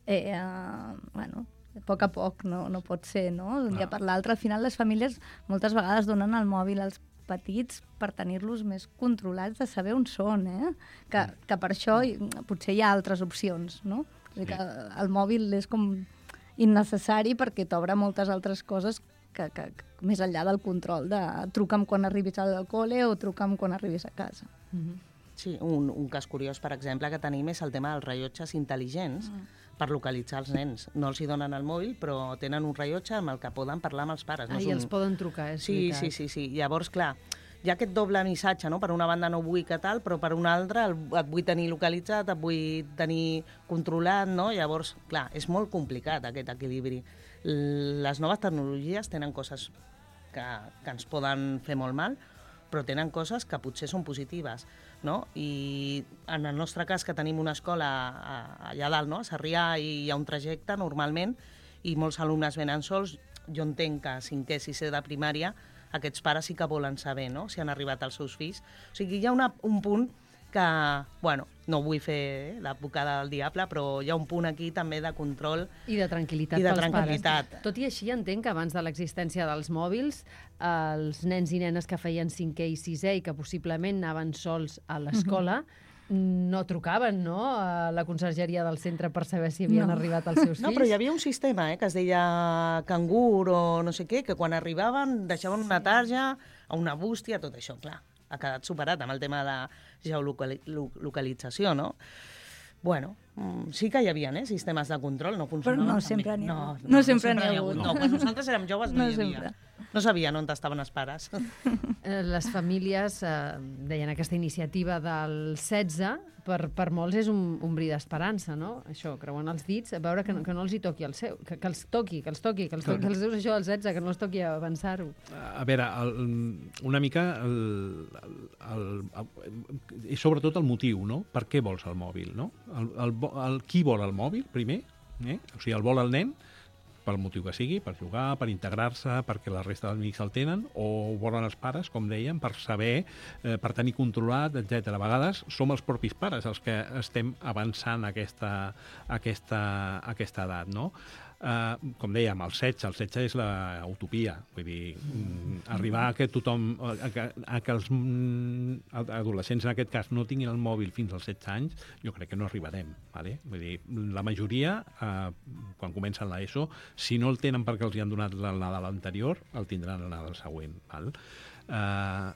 [SPEAKER 4] Eh, uh, bueno, a poc a poc no, no pot ser, no? D'un dia per l'altre. Al final les famílies moltes vegades donen el mòbil als petits per tenir-los més controlats, de saber on són, eh? Que, que per això potser hi ha altres opcions, no? Sí. Que el mòbil és com innecessari perquè t'obre moltes altres coses que, que, que més enllà del control de truca'm quan arribis al col·le o truca'm quan arribis a casa.
[SPEAKER 2] Mm-hmm.
[SPEAKER 3] Sí, un, un cas curiós, per exemple, que tenim és el tema dels rellotges intel·ligents mm. per localitzar els nens. No els hi donen el mòbil, però tenen un rellotge amb el que poden parlar amb els pares.
[SPEAKER 2] Ah,
[SPEAKER 3] no
[SPEAKER 2] i
[SPEAKER 3] un...
[SPEAKER 2] els poden trucar, és
[SPEAKER 3] sí,
[SPEAKER 2] veritat.
[SPEAKER 3] sí, sí, sí. Llavors, clar, hi ha aquest doble missatge, no? Per una banda no vull que tal, però per una altra el, et vull tenir localitzat, et vull tenir controlat, no? Llavors, clar, és molt complicat aquest equilibri. Les noves tecnologies tenen coses que, que ens poden fer molt mal, però tenen coses que potser són positives, no? I en el nostre cas, que tenim una escola allà dalt, no? A Sarrià, i hi ha un trajecte normalment, i molts alumnes venen sols, jo entenc que a cinquè, sisè de primària, aquests pares sí que volen saber, no?, si han arribat els seus fills. O sigui, hi ha una, un punt que, bueno, no vull fer l'advocada del diable, però hi ha un punt aquí també de control
[SPEAKER 2] i de tranquil·litat
[SPEAKER 3] i de
[SPEAKER 2] pels
[SPEAKER 3] tranquil·litat.
[SPEAKER 2] pares. Tot i així, entenc que abans de l'existència dels mòbils, els nens i nenes que feien cinquè i sisè i que possiblement anaven sols a l'escola, mm-hmm. no trucaven, no?, a la consergeria del centre per saber si havien
[SPEAKER 4] no.
[SPEAKER 2] arribat els seus fills.
[SPEAKER 3] No, però hi havia un sistema, eh, que es deia cangur o no sé què, que quan arribaven deixaven una tarja, una bústia, tot això, clar. Ha quedat superat amb el tema de geolocalització, no? Bueno, sí que hi havia eh, sistemes de control, no funcionaven.
[SPEAKER 4] Però no sempre n'hi ha
[SPEAKER 3] no,
[SPEAKER 4] hagut.
[SPEAKER 3] no,
[SPEAKER 4] No sempre n'hi ha hagut.
[SPEAKER 3] No, quan nosaltres érem joves no,
[SPEAKER 4] No
[SPEAKER 3] hi havia.
[SPEAKER 4] sempre.
[SPEAKER 3] No sabien on estaven els pares.
[SPEAKER 2] Eh, Les famílies eh, deien aquesta iniciativa del setze, per, per molts és un, un bri d'esperança, no? Això, creuen els dits, a veure que no, que no els hi toqui el seu, que, que els toqui, que els toqui, que els toqui, que els deus això al setze, que no els toqui avançar-ho.
[SPEAKER 5] A veure, el, una mica el, el, el, i sobretot el motiu, no? Per què vols el mòbil, no? El, el, el, qui vol el mòbil, primer? Eh? O sigui, el vol el nen, pel motiu que sigui, per jugar, per integrar-se, perquè la resta d'amics el tenen, o ho volen els pares, com dèiem, per saber, eh, per tenir controlat, etcètera. A vegades som els propis pares els que estem avançant aquesta, aquesta, aquesta edat, no? Uh, com dèiem, el setze, el setze és la utopia, vull dir, mm, arribar a que tothom, a que, a que els mm, adolescents en aquest cas no tinguin el mòbil fins als setze anys, jo crec que no arribarem, vale? Vull dir, la majoria, uh, quan comencen l'ESO, si no el tenen perquè els hi han donat el Nadal anterior, el tindran el Nadal següent, val? Uh,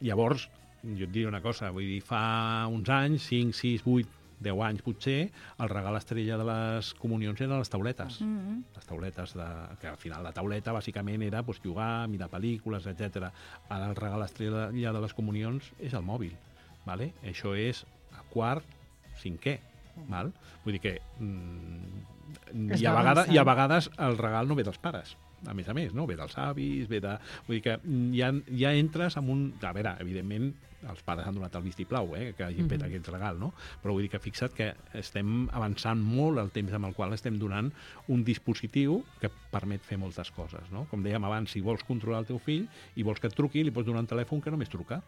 [SPEAKER 5] llavors, jo et diré una cosa, vull dir, fa uns anys, cinc, sis, vuit, deu anys potser, el regal estrella de les comunions eren les tauletes. Mm-hmm. Les tauletes, de, que al final la tauleta bàsicament era pues, jugar, mirar pel·lícules, etcètera. Ara el regal estrella de les comunions és el mòbil. Vale? Això és a quart, cinquè. Val? Vull dir que mm, i, a vegades, i a vegades el regal no ve dels pares. A més a més, no? Ve dels avis, ve de... Vull dir que ja, ja entres en un... A veure, evidentment, els pares han donat el vistiplau, eh, que hagin fet mm-hmm. aquest regal, no? Però vull dir que fixa't que estem avançant molt el temps amb el qual estem donant un dispositiu que permet fer moltes coses, no? Com dèiem abans, si vols controlar el teu fill i vols que et truqui, li pots donar un telèfon que només truca.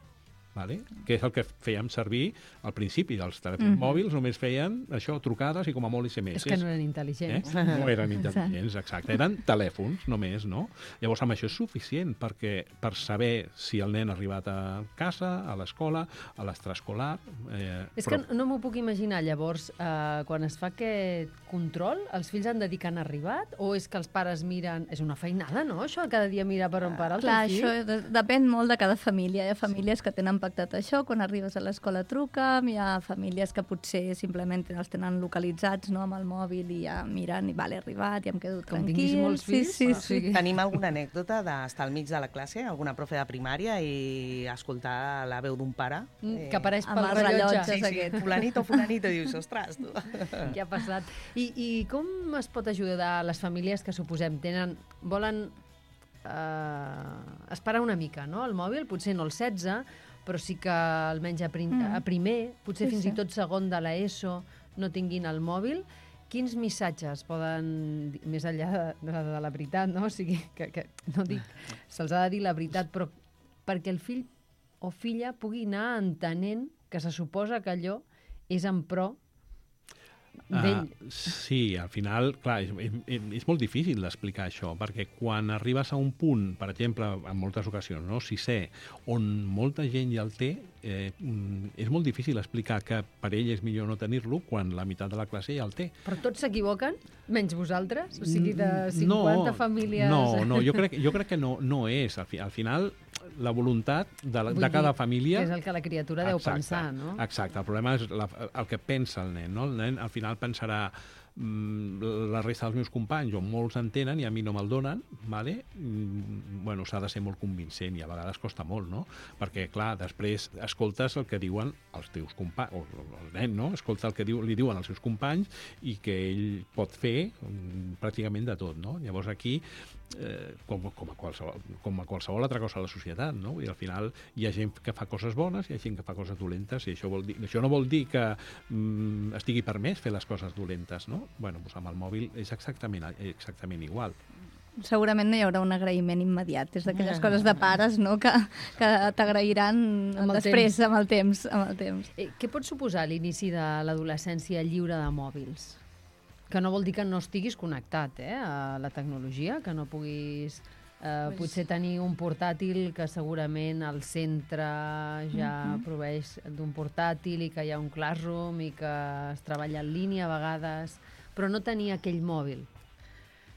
[SPEAKER 5] Vale? Que és el que fèiem servir al principi dels telèfons mm-hmm. mòbils, només feien això, trucades i com a molt S M S.
[SPEAKER 2] És que no eren intel·ligents.
[SPEAKER 5] Eh? No eren intel·ligents, exacte. Eren telèfons només, no? Llavors, amb això és suficient perquè per saber si el nen ha arribat a casa, a l'escola, a l'extraescolar... Eh,
[SPEAKER 2] és
[SPEAKER 5] però...
[SPEAKER 2] que no m'ho puc imaginar, llavors, eh, quan es fa aquest control, els fills han de dir que han arribat o és que els pares miren... És una feinada, no? Això, cada dia mirar per on para el
[SPEAKER 4] Clar,
[SPEAKER 2] teu fill.
[SPEAKER 4] això de, depèn molt de cada família. Hi ha famílies que tenen pactat això, quan arribes a l'escola truca, hi ha famílies que potser simplement els tenen localitzats, no, amb el mòbil i ja miren i vale, he arribat, ja em quedo
[SPEAKER 2] Com
[SPEAKER 4] tranquil.
[SPEAKER 2] tinguis molts fills,
[SPEAKER 4] sí, sí,
[SPEAKER 2] o
[SPEAKER 4] sí.
[SPEAKER 2] sigui...
[SPEAKER 3] Tenim alguna anècdota d'estar al mig de la classe, alguna profe de primària i escoltar la veu d'un pare?
[SPEAKER 2] Mm, que apareix
[SPEAKER 4] amb
[SPEAKER 2] pel
[SPEAKER 4] els
[SPEAKER 2] rellotge.
[SPEAKER 4] rellotges
[SPEAKER 3] Sí, sí,
[SPEAKER 4] aquest.
[SPEAKER 3] fulanito, fulanito, i dius, ostres, tu.
[SPEAKER 2] Què ha passat? I, I com es pot ajudar a les famílies que suposem tenen, volen eh, esperar una mica, no?, el mòbil, potser no el setze, però sí que almenys a, prim,
[SPEAKER 4] Mm.
[SPEAKER 2] a primer, potser
[SPEAKER 4] Sí,
[SPEAKER 2] fins
[SPEAKER 4] sí.
[SPEAKER 2] i tot segon de l'ESO, no tinguin el mòbil. Quins missatges poden, dir, més enllà de, de, de la veritat, no? O sigui, que, que no dic, se'ls ha de dir la veritat, però perquè el fill o filla pugui anar entenent que se suposa que allò és en pro d'ell.
[SPEAKER 5] Uh, sí, al final, clar, és, és, és molt difícil d'explicar això, perquè quan arribes a un punt, per exemple, en moltes ocasions, no, sisè, on molta gent ja el té, eh, és molt difícil explicar que per ell és millor no tenir-lo quan la meitat de la classe ja el té.
[SPEAKER 2] Però tots s'equivoquen, menys vosaltres? O sigui, de cinquanta
[SPEAKER 5] no, famílies...
[SPEAKER 2] famílies...
[SPEAKER 5] No, no, jo crec, jo crec que no, no és. Al, fi, al final, la voluntat de, la, de cada família...
[SPEAKER 2] Que és el que la criatura deu
[SPEAKER 5] exacte,
[SPEAKER 2] pensar, no?
[SPEAKER 5] Exacte, el problema és la, el que pensa el nen, no? El nen al final pensarà la resta dels meus companys o molts en tenen i a mi no me'l donen, vale? Bueno, s'ha de ser molt convincent i a vegades costa molt, no? Perquè, clar, després escoltes el que diuen els teus companys, o el nen, no? Escolta el que diu, li diuen els seus companys i que ell pot fer pràcticament de tot, no? Llavors aquí, eh, com, com, a qualsevol, com a qualsevol altra cosa a la societat, no? I al final hi ha gent que fa coses bones i hi ha gent que fa coses dolentes i això, vol dir, això no vol dir que mm, estigui permès fer les coses dolentes, no? Bueno, doncs amb el mòbil és exactament, exactament igual.
[SPEAKER 4] Segurament no hi haurà un agraïment immediat. És d'aquelles coses de pares, no?, que, que t'agrairan després, amb el temps. Amb el temps.
[SPEAKER 2] Eh, què pot suposar l'inici de l'adolescència lliure de mòbils? Que no vol dir que no estiguis connectat eh, a la tecnologia, que no puguis eh, pues... potser tenir un portàtil que segurament el centre ja uh-huh. proveeix d'un portàtil i que hi ha un classroom i que es treballa en línia a vegades, però no tenir aquell mòbil.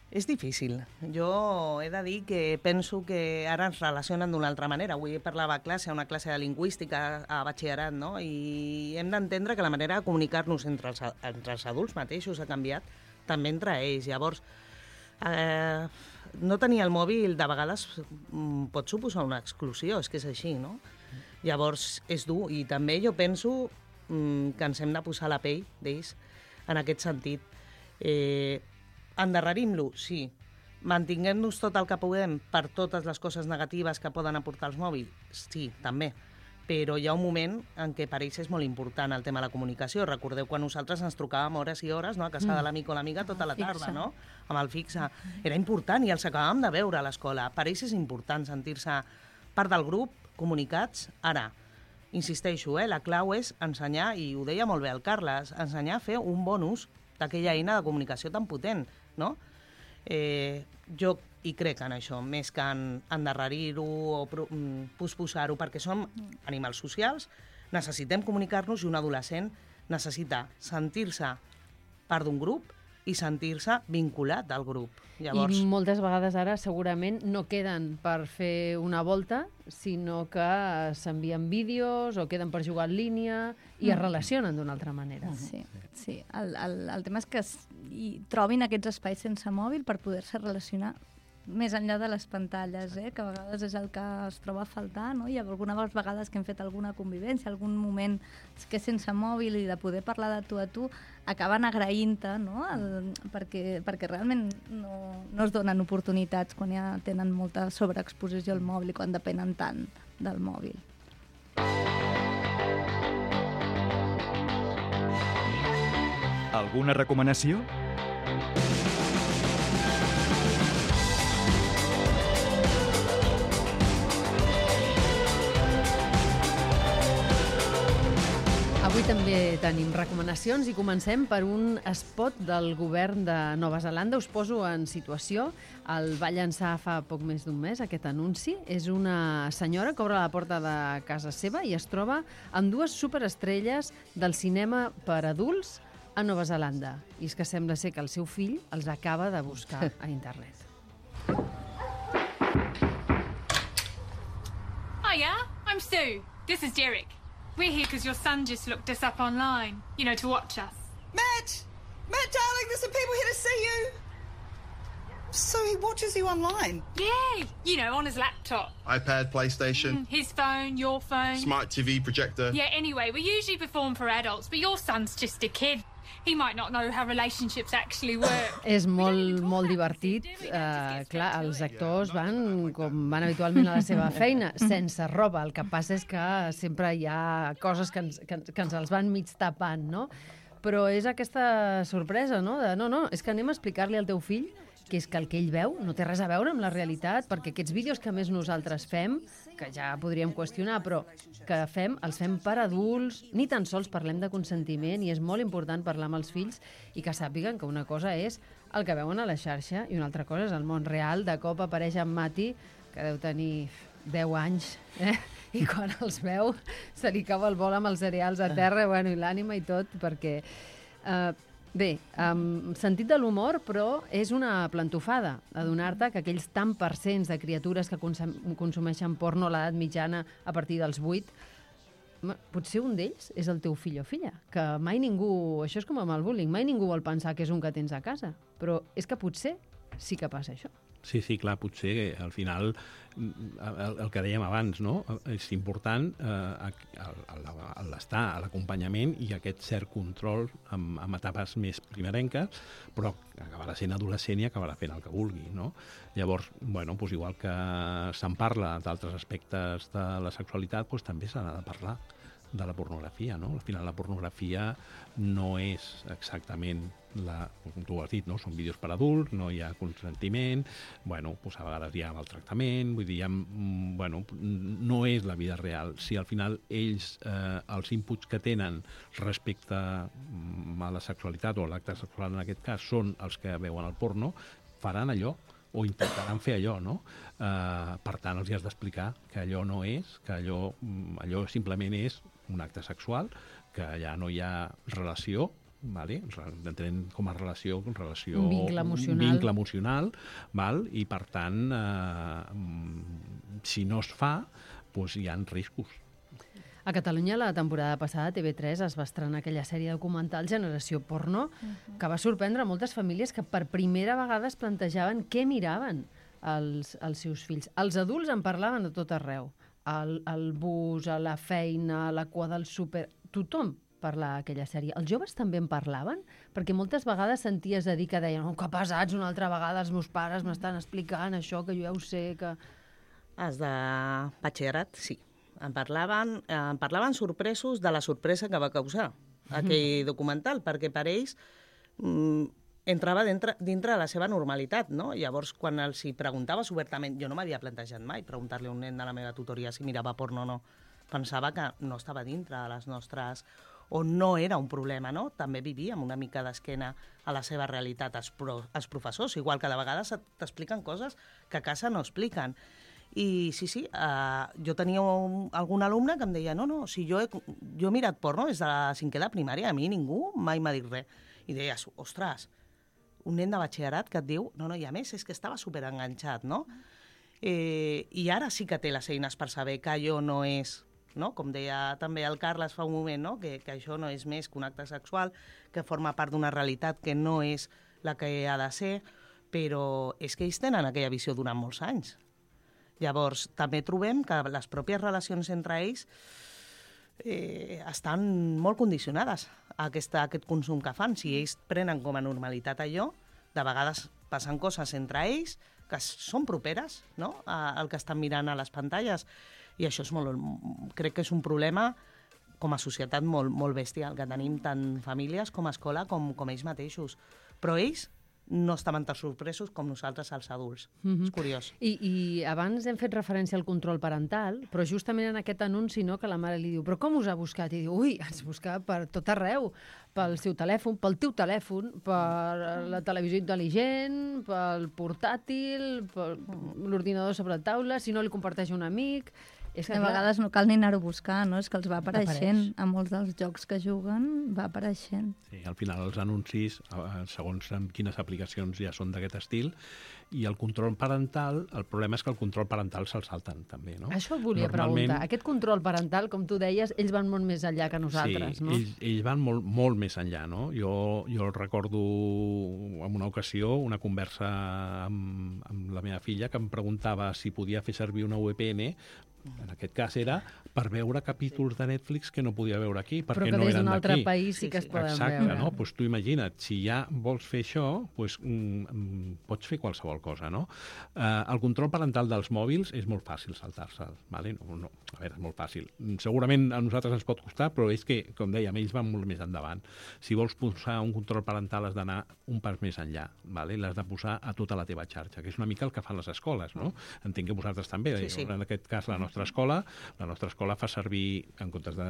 [SPEAKER 3] És difícil. Jo he de dir que penso que ara ens relacionen d'una altra manera. Avui parlava a classe, a una classe de lingüística a batxillerat, no? I hem d'entendre que la manera de comunicar-nos entre els, entre els adults mateixos ha canviat, també entre ells. Llavors, eh, no tenir el mòbil de vegades pot suposar una exclusió, és que és així, no? Llavors, és dur. I també jo penso mm, que ens hem de posar la pell d'ells en aquest sentit. Eh, endarrerim-lo, sí. Mantinguem-nos tot el que puguem per totes les coses negatives que poden aportar els mòbils, sí, també. Però hi ha un moment en què per ells és molt important el tema de la comunicació. Recordeu quan nosaltres ens trucàvem hores i hores, no?, a casa mm. de l'amic o l'amiga tota la tarda, no?, amb el fixe. Era important i els acabàvem de veure a l'escola. Per ells és important sentir-se part del grup, comunicats. Ara, insisteixo, eh, la clau és ensenyar, i ho deia molt bé el Carles, ensenyar a fer un bon ús d'aquella eina de comunicació tan potent, no? Eh, jo hi crec en això, més que en endarrerir-ho o posposar-ho, perquè som animals socials, necessitem comunicar-nos i un adolescent necessita sentir-se part d'un grup i sentir-se vinculat al grup. Llavors...
[SPEAKER 2] I moltes vegades ara segurament no queden per fer una volta, sinó que s'envien vídeos o queden per jugar en línia i mm. es relacionen d'una altra manera.
[SPEAKER 4] Sí, sí. El, el, el tema és que es, i trobin aquests espais sense mòbil per poder-se relacionar més enllà de les pantalles, eh? Que a vegades és el que es troba a faltar, no? I alguna vegades que hem fet alguna convivència, algun moment que sense mòbil i de poder parlar de tu a tu, acaben agraint-te, no? El, perquè, perquè realment no, no es donen oportunitats quan ja tenen molta sobreexposició al mòbil i quan depenen tant del mòbil.
[SPEAKER 1] Alguna recomanació?
[SPEAKER 2] Avui també tenim recomanacions i comencem per un spot del govern de Nova Zelanda. Us poso en situació. El va llançar fa poc més d'un mes, aquest anunci. És una senyora que obre la porta de casa seva i es troba amb dues superestrelles del cinema per adults a Nova Zelanda. I és que sembla ser que el seu fill els acaba de buscar a internet.
[SPEAKER 6] Hiya, I'm Sue. This is Derek. We're here because your son just looked us up online, you know, to watch us.
[SPEAKER 7] Matt! Matt, darling, there's some people here to see you. So he watches you online?
[SPEAKER 6] Yeah, you know, on his laptop.
[SPEAKER 8] iPad, PlayStation.
[SPEAKER 6] Mm, his phone, your phone.
[SPEAKER 8] Smart T V, projector.
[SPEAKER 6] Yeah, anyway, we usually perform for adults, but your son's just a kid. He might not know how relationships actually work.
[SPEAKER 2] És molt, molt divertit. Uh, clar, els actors van com van habitualment a la seva feina, sense roba. El que passa és que sempre hi ha coses que ens, que, que ens els van mig tapant, no? Però és aquesta sorpresa, no? De, no, no, és que anem a explicar-li al teu fill que és que el que ell veu no té res a veure amb la realitat, perquè aquests vídeos que més nosaltres fem, que ja podríem qüestionar, però que fem, els fem per adults, ni tan sols parlem de consentiment, i és molt important parlar amb els fills i que sàpiguen que una cosa és el que veuen a la xarxa i una altra cosa és el món real. De cop apareix en Mati, que deu tenir deu anys, eh? I quan els veu se li cau el vol amb els cereals a terra, bueno, i l'ànima i tot, perquè... Eh, bé, amb sentit de l'humor, però és una plantofada adonar-te que aquells tant percents de criatures que consum consumeixen porno a l'edat mitjana a partir dels vuit, potser un d'ells és el teu fill o filla, que mai ningú... Això és com amb el bullying, mai ningú vol pensar que és un que tens a casa, però és que potser sí que passa això.
[SPEAKER 5] Sí, sí, clar, potser al final el, el que dèiem abans, no? És important eh, l'estar a l'acompanyament i aquest cert control amb, amb etapes més primerenques, però acabarà sent adolescent i acabarà fent el que vulgui, no? Llavors, bueno, doncs igual que se'n parla d'altres aspectes de la sexualitat, doncs també s'ha de parlar de la pornografia, no? Al final la pornografia no és exactament la, com tu has dit, no? Són vídeos per adults, no hi ha consentiment, bueno, doncs a vegades hi ha maltractament, vull dir, ha, bueno, no és la vida real. Si al final ells, eh, els inputs que tenen respecte a la sexualitat o l'acte sexual en aquest cas són els que veuen el porno, faran allò o intentaran fer allò, no? Eh, per tant, els has d'explicar que allò no és, que allò, allò simplement és un acte sexual, que allà no hi ha relació, vale? Entenem com a relació, relació
[SPEAKER 2] un vincle emocional,
[SPEAKER 5] un vincle emocional val? I per tant, eh, si no es fa, doncs hi ha riscos.
[SPEAKER 2] A Catalunya, la temporada passada, T V tres es va estrenar aquella sèrie documental Generació Porno, uh-huh. que va sorprendre moltes famílies que per primera vegada es plantejaven què miraven els, els seus fills. Els adults en parlaven de tot arreu. Al, al bus, a la feina, a la cua del súper... Tothom parlava aquella sèrie. Els joves també en parlaven? Perquè moltes vegades senties a dir que deien oh, que pesats, una altra vegada els meus pares m'estan explicant això, que jo ja ho sé, que...
[SPEAKER 3] Els de batxillerat, sí. En parlaven, en parlaven sorpresos de la sorpresa que va causar aquell documental, perquè per ells mm, entrava dintre, dintre de la seva normalitat, no? Llavors, quan els hi preguntaves obertament, jo no m'havia plantejat mai preguntar-li a un nen de la meva tutoria si mirava porno o no. Pensava que no estava dintre de les nostres... o no era un problema, no? També vivíem una mica d'esquena a la seva realitat els, pro, els professors, igual que de vegades t'expliquen coses que a casa no expliquen. I sí, sí, uh, jo tenia un, algun alumne que em deia no, no, si jo he, jo he mirat porno des de la cinquè de primària, a mi ningú mai m'ha dit res. I deies, ostres, un nen de batxillerat que et diu, no, no, i a més és que estava superenganxat, no? Eh, I ara sí que té les eines per saber que allò no és, no? Com deia també el Carles fa un moment, no? que, que això no és més que un acte sexual, que forma part d'una realitat que no és la que ha de ser, però és que ells tenen aquella visió durant molts anys. Llavors, també trobem que les pròpies relacions entre ells eh, estan molt condicionades a, aquesta, a aquest consum que fan. Si ells prenen com a normalitat allò, de vegades passen coses entre ells que són properes, no?, al que estan mirant a les pantalles. I això és molt, crec que és un problema com a societat molt, molt bèstia, el que tenim tant famílies com a escola com, com ells mateixos. Però ells no estaven tan sorpresos com nosaltres els adults. Mm-hmm. És curiós.
[SPEAKER 2] I, I abans hem fet referència al control parental, però justament en aquest anunci, no, que la mare li diu però com us ha buscat? I diu, ui, ens busca per tot arreu, pel seu telèfon, pel teu telèfon, per la televisió intel·ligent, pel portàtil, per l'ordinador sobre la taula, si no li comparteix un amic... És que,
[SPEAKER 4] a vegades no cal ni anar-ho a buscar, no? És que els va apareixent. A molts dels jocs que juguen va apareixent.
[SPEAKER 5] Sí, al final els anuncis, segons quines aplicacions ja són d'aquest estil, i el control parental, el problema és que el control parental se'l salten també, no?
[SPEAKER 2] Això et volia Normalment... preguntar. Aquest control parental, com tu deies, ells van molt més enllà que nosaltres,
[SPEAKER 5] sí,
[SPEAKER 2] no?
[SPEAKER 5] Sí, ells, ells van molt, molt més enllà, no? Jo, jo recordo en una ocasió una conversa amb, amb la meva filla que em preguntava si podia fer servir una V P N. En aquest cas era per veure capítols de Netflix que no podia veure aquí, perquè no eren d'aquí.
[SPEAKER 2] Però que des d'un altre país sí que es poden
[SPEAKER 5] Exacte,
[SPEAKER 2] veure.
[SPEAKER 5] No? Pues tu imagina't, si ja vols fer això, pues, mm, pots fer qualsevol cosa, no? Uh, el control parental dels mòbils és molt fàcil saltar-se'l, vale? No, no, a veure, és molt fàcil. Segurament a nosaltres ens pot costar, però és que, com dèiem, ells van molt més endavant. Si vols posar un control parental has d'anar un pas més enllà, vale? L'has de posar a tota la teva xarxa, que és una mica el que fan les escoles, no? Entenc que vosaltres també,
[SPEAKER 3] sí, sí.
[SPEAKER 5] En aquest cas la nostra nostra escola, la nostra escola fa servir, en comptes de,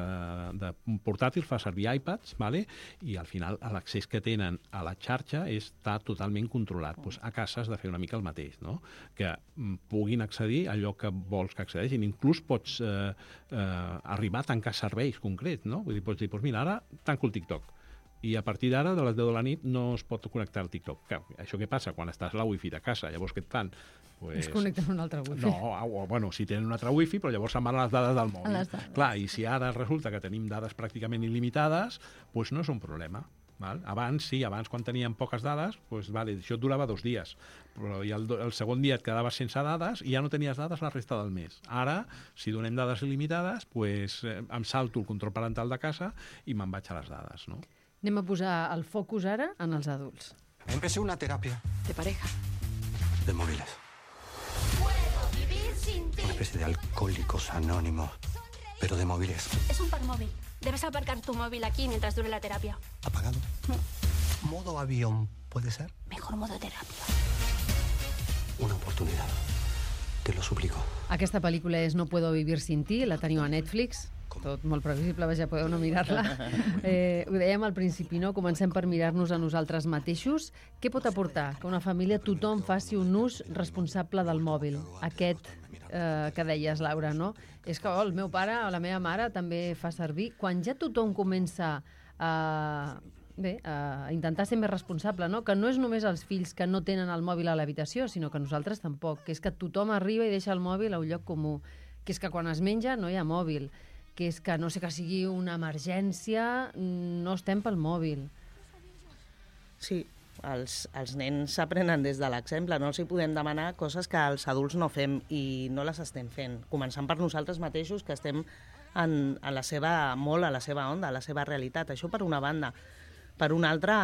[SPEAKER 5] de portàtils, fa servir iPads, vale? I al final l'accés que tenen a la xarxa està totalment controlat. Pues a casa has de fer una mica el mateix, no? Que puguin accedir a allò que vols que accedeixin. Inclús pots eh, eh, arribar a tancar serveis concrets, no? Vull dir, pots dir, pues mira, ara tanco el TikTok. I a partir d'ara, de les deu de la nit, no es pot connectar al TikTok. Clar, això què passa? Quan estàs a la wifi de casa, llavors què et fan? Pues...
[SPEAKER 2] Es connecten a un altre wifi.
[SPEAKER 5] No, o, bueno, si tenen un altre wifi, però llavors se'n van a les dades del mòbil.
[SPEAKER 4] dades.
[SPEAKER 5] Clar, i si ara resulta que tenim dades pràcticament il·limitades, pues no és un problema. Val? Abans, sí, abans quan teníem poques dades, pues, vale, això et durava dos dies, però i el, el segon dia et quedaves sense dades i ja no tenies dades la resta del mes. Ara, si donem dades il·limitades, pues, eh, em salto el control parental de casa i me'n vaig a les dades, no?
[SPEAKER 2] Anem a posar el focus ara en els adults.
[SPEAKER 9] Empecé una terapia
[SPEAKER 10] ¿De pareja?
[SPEAKER 9] de móviles. Una especie de alcohólicos anónimos, pero de móviles.
[SPEAKER 10] Es un par móvil. Debes aparcar tu móvil aquí mientras dure la terapia.
[SPEAKER 9] ¿Apagado? Modo avión, ¿puede ser?
[SPEAKER 10] Mejor modo terapia.
[SPEAKER 9] Una oportunidad. Te lo suplico.
[SPEAKER 2] Aquesta pel·lícula és No puedo vivir sin ti, la teniu a Netflix. Tot molt previsible, ja podeu no mirar-la. Eh, ho dèiem al principi, no? Comencem per mirar-nos a nosaltres mateixos. Què pot aportar que una família tothom faci un ús responsable del mòbil? Aquest eh, que deies, Laura, no? És que oh, el meu pare o la meva mare també fa servir. Quan ja tothom comença a, bé, a intentar ser més responsable, no? Que no és només els fills que no tenen el mòbil a l'habitació, sinó que nosaltres tampoc, que és que tothom arriba i deixa el mòbil a un lloc comú, que és que quan es menja no hi ha mòbil, que és que no sé que sigui una emergència, no estem pel mòbil.
[SPEAKER 3] Sí, els, els nens s'aprenen des de l'exemple, no els hi podem demanar coses que els adults no fem i no les estem fent, començant per nosaltres mateixos, que estem en, en la seva, molt a la seva onda, a la seva realitat. Això per una banda. Per una altra,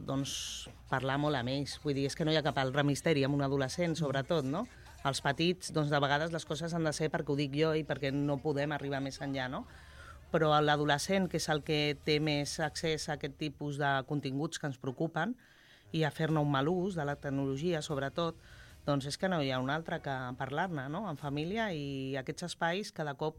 [SPEAKER 3] doncs, parlar molt amb ells. Vull dir, és que no hi ha cap altre misteri amb un adolescent, sobretot, no? Els petits, doncs, de vegades les coses han de ser perquè ho dic jo i perquè no podem arribar més enllà, no? Però l'adolescent, que és el que té més accés a aquest tipus de continguts que ens preocupen i a fer-ne un mal ús de la tecnologia, sobretot, doncs és que no hi ha un altre que parlar-ne, no?, en família, i aquests espais cada cop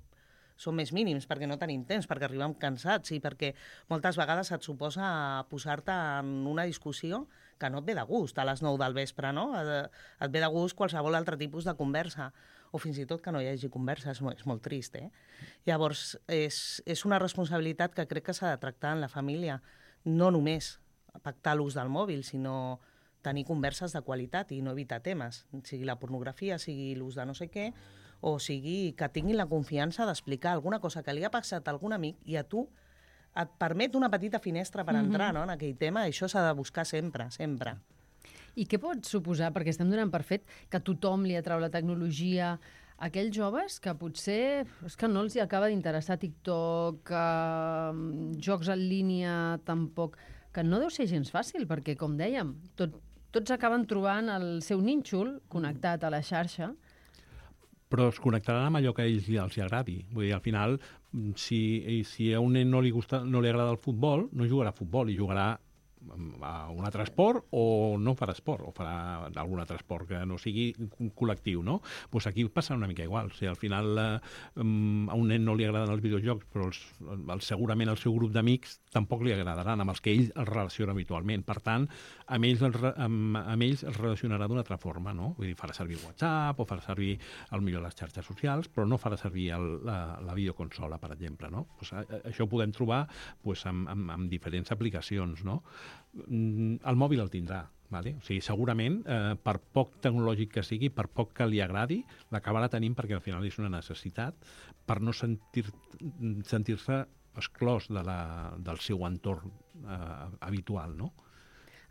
[SPEAKER 3] són més mínims perquè no tenim temps, perquè arribem cansats i perquè moltes vegades et suposa posar-te en una discussió que no et ve de gust a les nou del vespre, no? Et ve de gust qualsevol altre tipus de conversa, o fins i tot que no hi hagi conversa, és molt, és molt trist, eh? Llavors, és, és una responsabilitat que crec que s'ha de tractar en la família, no només pactar l'ús del mòbil, sinó tenir converses de qualitat i no evitar temes, sigui la pornografia, sigui l'ús de no sé què, o sigui que tinguin la confiança d'explicar alguna cosa que li ha passat a algun amic i a tu et permet una petita finestra per entrar, mm-hmm. no, en aquell tema. Això s'ha de buscar sempre, sempre.
[SPEAKER 2] I què pot suposar, perquè estem donant per fet que tothom li atrau la tecnologia, aquells joves que potser és que no els hi acaba d'interessar TikTok, eh, jocs en línia tampoc, que no deu ser gens fàcil, perquè, com dèiem, tot, tots acaben trobant el seu nínxol connectat a la xarxa.
[SPEAKER 5] Però es connectaran amb allò que a ells els hi agradi. Vull dir, al final, si, si a un nen no li, gusta, no li agrada el futbol, no jugarà a futbol i jugarà a un altre esport o no farà esport, o farà algun altre esport que no sigui col·lectiu, no? Pues aquí passa una mica igual. O sigui, al final eh, a un nen no li agraden els videojocs, però els, el, segurament el seu grup d'amics tampoc li agradaran, amb els que ell es relaciona habitualment. Per tant, amb ells, el, amb, amb ells es relacionarà d'una altra forma, no? Vull dir, farà servir WhatsApp o farà servir, al millor, les xarxes socials, però no farà servir el, la, la videoconsola, per exemple, no? Pues, a, això ho podem trobar pues, amb, amb, amb diferents aplicacions, no? El mòbil el tindrà, vale? O sigui, segurament, eh, per poc tecnològic que sigui, per poc que li agradi, l'acabarà tenint perquè al final és una necessitat per no sentir, sentir-se exclòs de la, del seu entorn eh, habitual, no?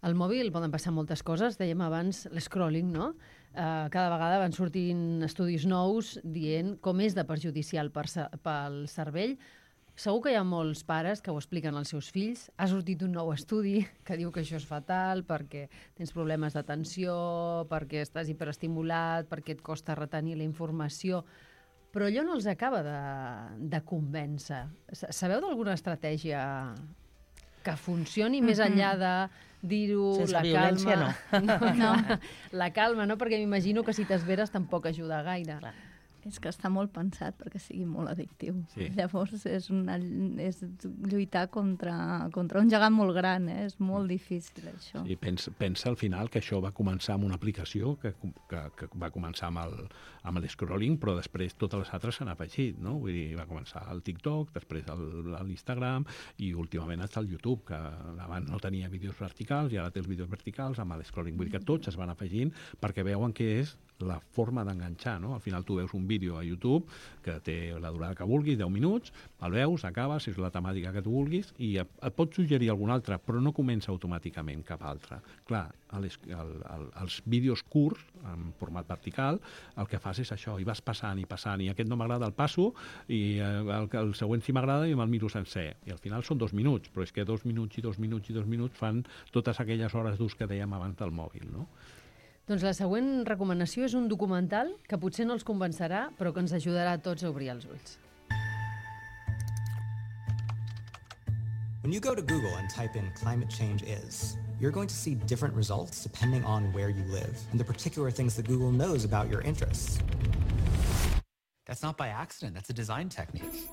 [SPEAKER 2] Al mòbil poden passar moltes coses, dèiem abans l'escrolling, no? Eh, cada vegada van sortint estudis nous dient com és de perjudicial per, pel cervell. Segur que hi ha molts pares que ho expliquen als seus fills. Ha sortit un nou estudi que diu que això és fatal perquè tens problemes d'atenció, perquè estàs hiperestimulat, perquè et costa retenir la informació. Però allò no els acaba de, de convèncer. Sabeu d'alguna estratègia que funcioni més enllà de dir-ho, la calma?
[SPEAKER 3] No.
[SPEAKER 2] no, no. La calma, no? Perquè m'imagino que si t'esveres tampoc ajuda gaire.
[SPEAKER 4] Clar. És que està molt pensat perquè sigui molt addictiu.
[SPEAKER 5] Sí.
[SPEAKER 4] Llavors és, una, és lluitar contra, contra un gegant molt gran, eh? És molt difícil, això.
[SPEAKER 5] Sí, pensa, pensa al final que això va començar amb una aplicació que, que, que va començar amb el, amb el scrolling, però després totes les altres s'han afegit, no? Vull dir, va començar el TikTok, després l'Instagram i últimament està el YouTube, que abans no tenia vídeos verticals i ara té els vídeos verticals amb el scrolling. Vull dir que tots es van afegint perquè veuen que és la forma d'enganxar, no? Al final tu veus un vídeo a YouTube que té la durada que vulguis, deu minuts, el veus, acabes, és la temàtica que tu vulguis i et, et pot suggerir algun altre, però no comença automàticament cap altre. Clar, els, el, el, els vídeos curts, en format vertical, el que fas és això, i vas passant i passant, i aquest no m'agrada, el passo, i el, el següent sí m'agrada i me'l miro sencer. I al final són dos minuts, però és que dos minuts i dos minuts i dos minuts fan totes aquelles hores d'ús que dèiem abans del mòbil, no?
[SPEAKER 2] Doncs la següent recomanació és un documental que potser no els convencerà, però que ens ajudarà a tots a obrir els ulls.
[SPEAKER 11] When you go to Google and type in climate change is, you're going to see different results depending on where you live and the particular things that Google knows about your interests.
[SPEAKER 12] That's not by accident, that's a design technique.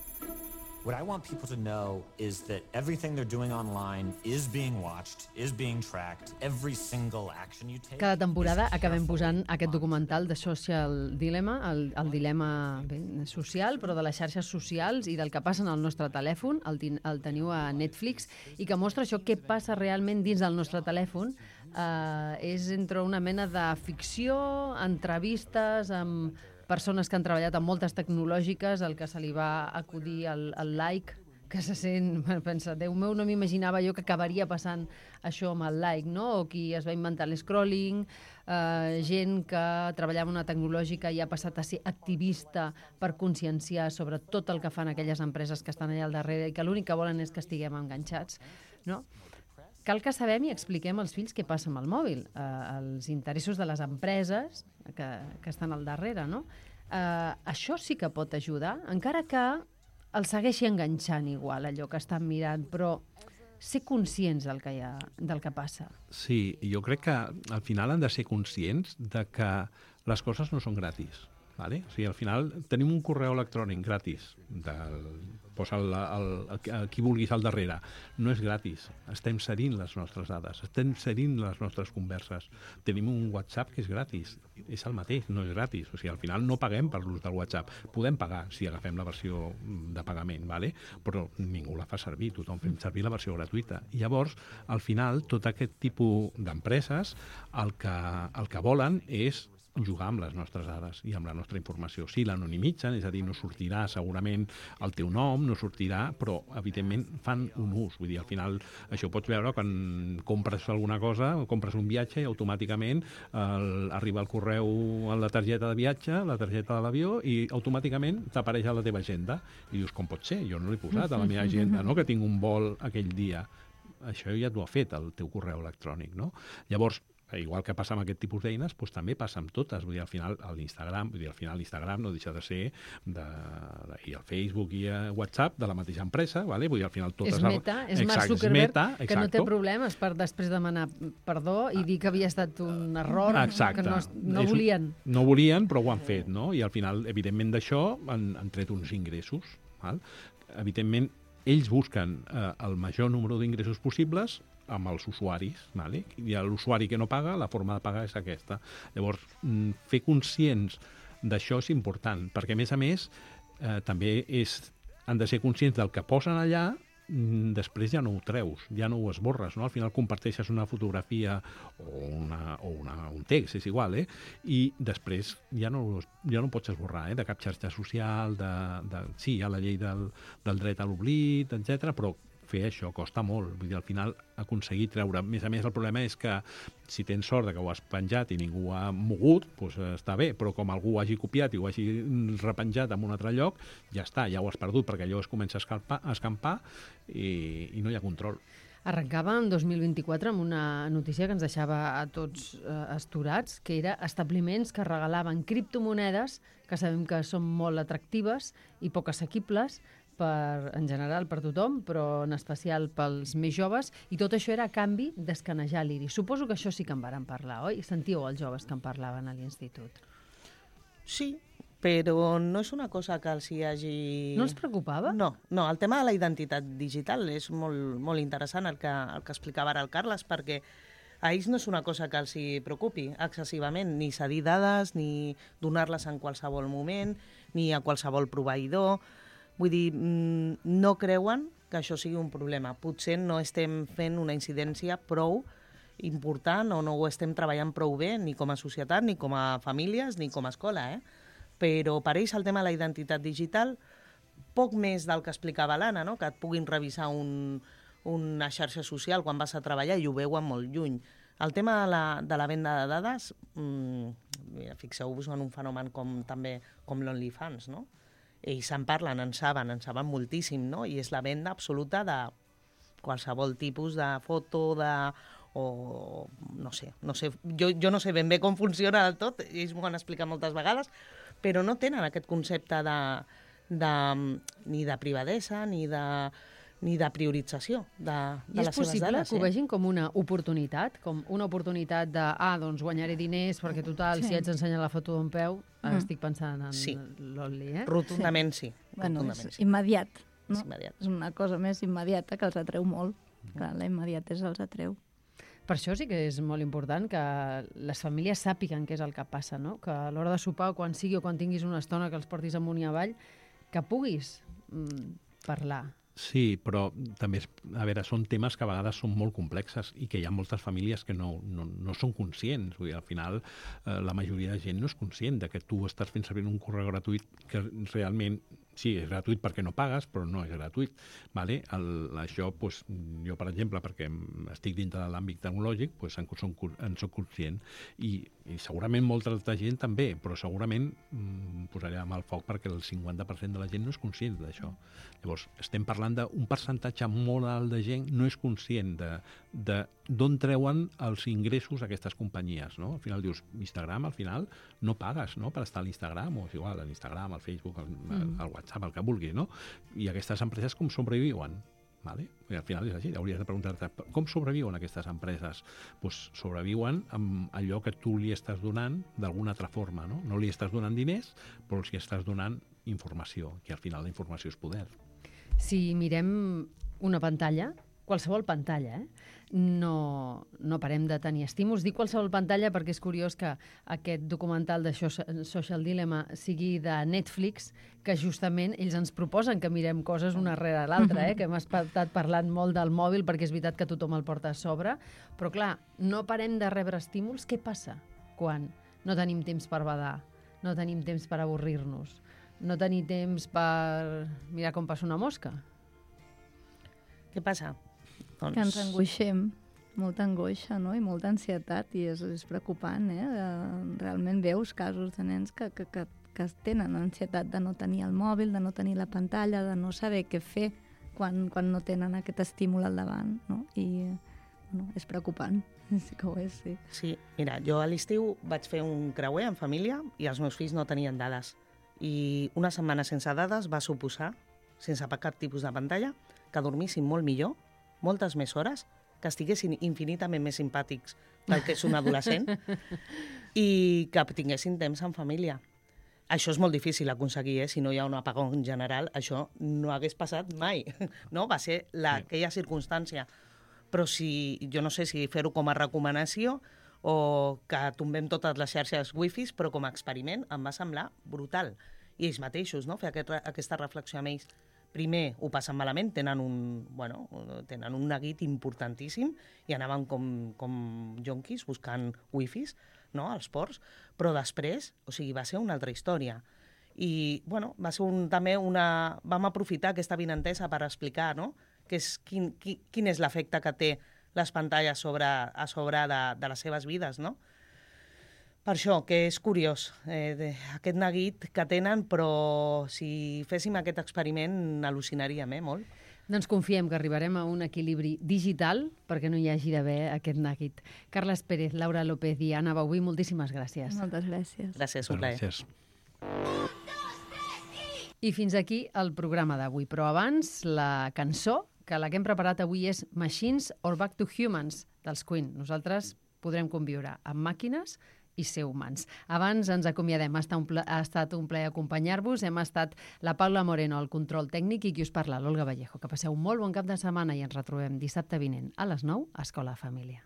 [SPEAKER 12] What I want people to know is that everything they're doing online is being watched, is being tracked, every single action you take.
[SPEAKER 2] Cada temporada acabem posant aquest documental de Social Dilemma, el, el dilema bé, social, però de les xarxes socials i del que passa en el nostre telèfon, el, el teniu a Netflix, i que mostra això, què passa realment dins del nostre telèfon. Eh, és entre una mena de ficció, entrevistes amb persones que han treballat amb moltes tecnològiques, el que se li va acudir al, al like, que se sent, pensa, Déu meu, no m'imaginava jo que acabaria passant això amb el like, no? O qui es va inventar l'escrolling, eh, gent que treballava en una tecnològica i ha passat a ser activista per conscienciar sobre tot el que fan aquelles empreses que estan allà al darrere i que l'únic que volen és que estiguem enganxats, no? Cal que sabem i expliquem als fills què passa amb el mòbil, eh, els interessos de les empreses que, que estan al darrere, no? Eh, això sí que pot ajudar, encara que el segueixi enganxant igual, allò que estan mirant, però ser conscients del que, hi ha, del que passa.
[SPEAKER 5] Sí, jo crec que al final han de ser conscients de que les coses no són gratis. Vale? O sigui, al final tenim un correu electrònic gratis, del, posa el, el, el, el, qui vulguis al darrere. No és gratis, estem cedint les nostres dades, estem cedint les nostres converses. Tenim un WhatsApp que és gratis, és el mateix, no és gratis. O sigui, al final no paguem per l'ús del WhatsApp. Podem pagar si agafem la versió de pagament, vale? Però ningú la fa servir, tothom fem servir la versió gratuïta. I llavors, al final, tot aquest tipus d'empreses el que, el que volen és jugar amb les nostres dades i amb la nostra informació. Sí, l'anonimitzen, és a dir, no sortirà segurament el teu nom, no sortirà, però evidentment fan un ús. Vull dir, al final això ho pots veure quan compres alguna cosa, compres un viatge i automàticament el, arriba el correu a la targeta de viatge, la targeta de l'avió, i automàticament t'apareix a la teva agenda. I dius, com pot ser? Jo no l'he posat a la meva agenda, no? Que tinc un vol aquell dia. Això ja t'ho ha fet el teu correu electrònic, no? Llavors, igual que passa amb aquest tipus d'eines, doncs també passa amb totes. Vull dir, al final, l'Instagram, vull dir, al final l'Instagram no deixa de ser de, de, i el Facebook i el WhatsApp de la mateixa empresa, vale? Vull dir, al final totes...
[SPEAKER 2] És Meta, és Mark Zuckerberg, meta, que no té problemes per després demanar perdó i dir que havia estat un error, exacte, que no, no volien.
[SPEAKER 5] Un, no volien, però ho han fet, no? I al final, evidentment, d'això han, han tret uns ingressos, val? Evidentment, ells busquen eh, el major número d'ingressos possibles amb els usuaris, vale? I l'usuari que no paga, la forma de pagar és aquesta. Llavors, fer conscients d'això és important, perquè a més a més eh, també és, han de ser conscients del que posen allà, després ja no ho treus, ja no ho esborres, no? Al final comparteixes una fotografia o, una, o una, un text, és igual, eh? I després ja no, ja no pots esborrar, eh? De cap xarxa social, de, de, sí, hi ha la llei del, del dret a l'oblit, etcètera, però fer això costa molt. Vull dir, al final aconseguir treure... A més a més, el problema és que si tens sort de que ho has penjat i ningú ha mogut, doncs està bé, però com algú ho hagi copiat i ho hagi repenjat en un altre lloc, ja està, ja ho has perdut, perquè allò es comença a escampar, a escampar i, i no hi ha control.
[SPEAKER 2] Arrencava en dos mil vint-i-quatre amb una notícia que ens deixava a tots eh, astorats, que era establiments que regalaven criptomonedes, que sabem que són molt atractives i poc assequibles, per, en general per tothom, però en especial pels més joves, i tot això era a canvi d'escanejar l'iris. Suposo que això sí que en varen parlar, oi? Sentíeu els joves que en parlaven a l'institut.
[SPEAKER 3] Sí, però no és una cosa que els hi hagi...
[SPEAKER 2] No els preocupava?
[SPEAKER 3] No, no, el tema de la identitat digital és molt, molt interessant el que, el que explicava ara el Carles, perquè a ells no és una cosa que els hi preocupi excessivament, ni cedir dades, ni donar-les en qualsevol moment, ni a qualsevol proveïdor. Vull dir, no creuen que això sigui un problema. Potser no estem fent una incidència prou important o no ho estem treballant prou bé, ni com a societat, ni com a famílies, ni com a escola, eh? Però per ells el tema de la identitat digital, poc més del que explicava l'Anna, no? Que et puguin revisar un, una xarxa social quan vas a treballar i ho veuen molt lluny. El tema de la, de la venda de dades, mmm, fixeu-vos en un fenomen com també com l'OnlyFans, no? Ells en parlen, en saben, en saben moltíssim, no? I és la venda absoluta de qualsevol tipus de foto, de... o no sé, no sé jo, jo no sé ben bé com funciona del tot, ells m'ho han explicat moltes vegades, però no tenen aquest concepte de, de, ni de privadesa ni de, ni de priorització de, de les seves dades.
[SPEAKER 2] I és possible que ho vegin com una oportunitat, com una oportunitat de, ah, doncs guanyaré diners perquè total, sí. Si haig d'ensenyar la foto d'un peu, ara mm. estic pensant en
[SPEAKER 3] sí.
[SPEAKER 2] l'Only, eh?
[SPEAKER 3] Rotundament sí. sí.
[SPEAKER 4] Bueno,
[SPEAKER 3] Rotundament,
[SPEAKER 4] és
[SPEAKER 3] sí.
[SPEAKER 4] immediat, no?
[SPEAKER 3] És immediat.
[SPEAKER 4] És una cosa més immediata que els atreu molt. Mm. Clar, la immediatesa els atreu.
[SPEAKER 2] Per això sí que és molt important que les famílies sàpiguen què és el que passa, no? Que a l'hora de sopar, quan sigui o quan tinguis una estona que els portis amunt i avall, que puguis mm, parlar.
[SPEAKER 5] Sí, però també, és, a veure, són temes que a vegades són molt complexes i que hi ha moltes famílies que no, no, no són conscients. Vull dir, al final, eh, la majoria de gent no és conscient de que tu estàs fent servir un correu gratuït que realment, sí, és gratuït perquè no pagues, però no és gratuït. Vale? El, això, doncs, jo, per exemple, perquè estic dintre de l'àmbit tecnològic, doncs, en, som, en soc conscient. I, I segurament molta altra gent també, però segurament mm, posaré amb el foc perquè el cinquanta per cent de la gent no és conscient d'això. Llavors, estem parlant d'un percentatge molt alt de gent no és conscient de, de d'on treuen els ingressos aquestes companyies, no? Al final dius, Instagram, al final, no pagues, no?, per estar a l'Instagram, o és igual, a l'Instagram, al Facebook, al, mm. al WhatsApp, el que vulguis, no? I aquestes empreses com sobreviuen? Vale? I al final és així, hauries de preguntar-te com sobreviuen aquestes empreses? Pues sobreviuen amb allò que tu li estàs donant d'alguna altra forma, no? No li estàs donant diners, però els estàs donant informació, que al final la informació és poder.
[SPEAKER 2] Si mirem una pantalla, qualsevol pantalla, eh? no, no parem de tenir estímuls. Dic qualsevol pantalla perquè és curiós que aquest documental de Social Dilemma sigui de Netflix, que justament ells ens proposen que mirem coses una rere l'altra, eh? Que hem estat parlant molt del mòbil perquè és veritat que tothom el porta a sobre, però clar, no parem de rebre estímuls. Què passa quan no tenim temps per badar, no tenim temps per avorrir-nos, no tenim temps per mirar com passa una mosca?
[SPEAKER 3] Què passa?
[SPEAKER 4] Doncs... Que ens angoixem, molta angoixa, no? I molta ansietat, i és, és preocupant, eh? Realment veus casos de nens que, que, que, que tenen ansietat de no tenir el mòbil, de no tenir la pantalla, de no saber què fer quan, quan no tenen aquest estímul al davant, no? I bueno, és preocupant, sí que ho és, sí.
[SPEAKER 3] Sí, mira, jo a l'estiu vaig fer un creuer en família i els meus fills no tenien dades. I una setmana sense dades va suposar, sense cap tipus de pantalla, que dormissin molt millor, moltes més hores, que estiguessin infinitament més simpàtics del que és un adolescent i que tinguessin temps en família. Això és molt difícil aconseguir, eh? Si no hi ha un apagón general, això no hagués passat mai. No? Va ser la, sí. aquella circumstància. Però si, jo no sé si fer-ho com a recomanació o que tombem totes les xarxes wifis, però com a experiment em va semblar brutal. I ells mateixos, no? Fer aquest, aquesta reflexió amb ells. Primer ho passen malament, tenen un, bueno, tenen un neguit importantíssim i anaven com, com jonquis buscant wifis, no?, als ports, però després, o sigui, va ser una altra història. I, bueno, va ser un, també una... Vam aprofitar aquesta vinentesa per explicar, no?, que és, quin, quin, quin és l'efecte que té les pantalles sobre, a sobre de, de les seves vides, no? Per això, que és curiós, eh, de, aquest neguit que tenen, però si féssim aquest experiment al·lucinaríem, eh, molt.
[SPEAKER 2] Doncs confiem que arribarem a un equilibri digital perquè no hi hagi d'haver aquest neguit. Carles Pérez, Laura López i Anna Bauví, moltíssimes gràcies.
[SPEAKER 4] Moltes gràcies.
[SPEAKER 3] Gràcies, un plaer.
[SPEAKER 5] Gràcies.
[SPEAKER 2] I fins aquí el programa d'avui, però abans la cançó, que la que hem preparat avui és Machines or Back to Humans, dels Queen. Nosaltres podrem conviure amb màquines i ser humans. Abans ens acomiadem. Ha estat un plaer, ha estat un plaer acompanyar-vos. Hem estat la Paula Moreno al control tècnic i qui us parla, l'Olga Vallejo. Que passeu un molt bon cap de setmana i ens retrobem dissabte vinent a les nou a Escola Família.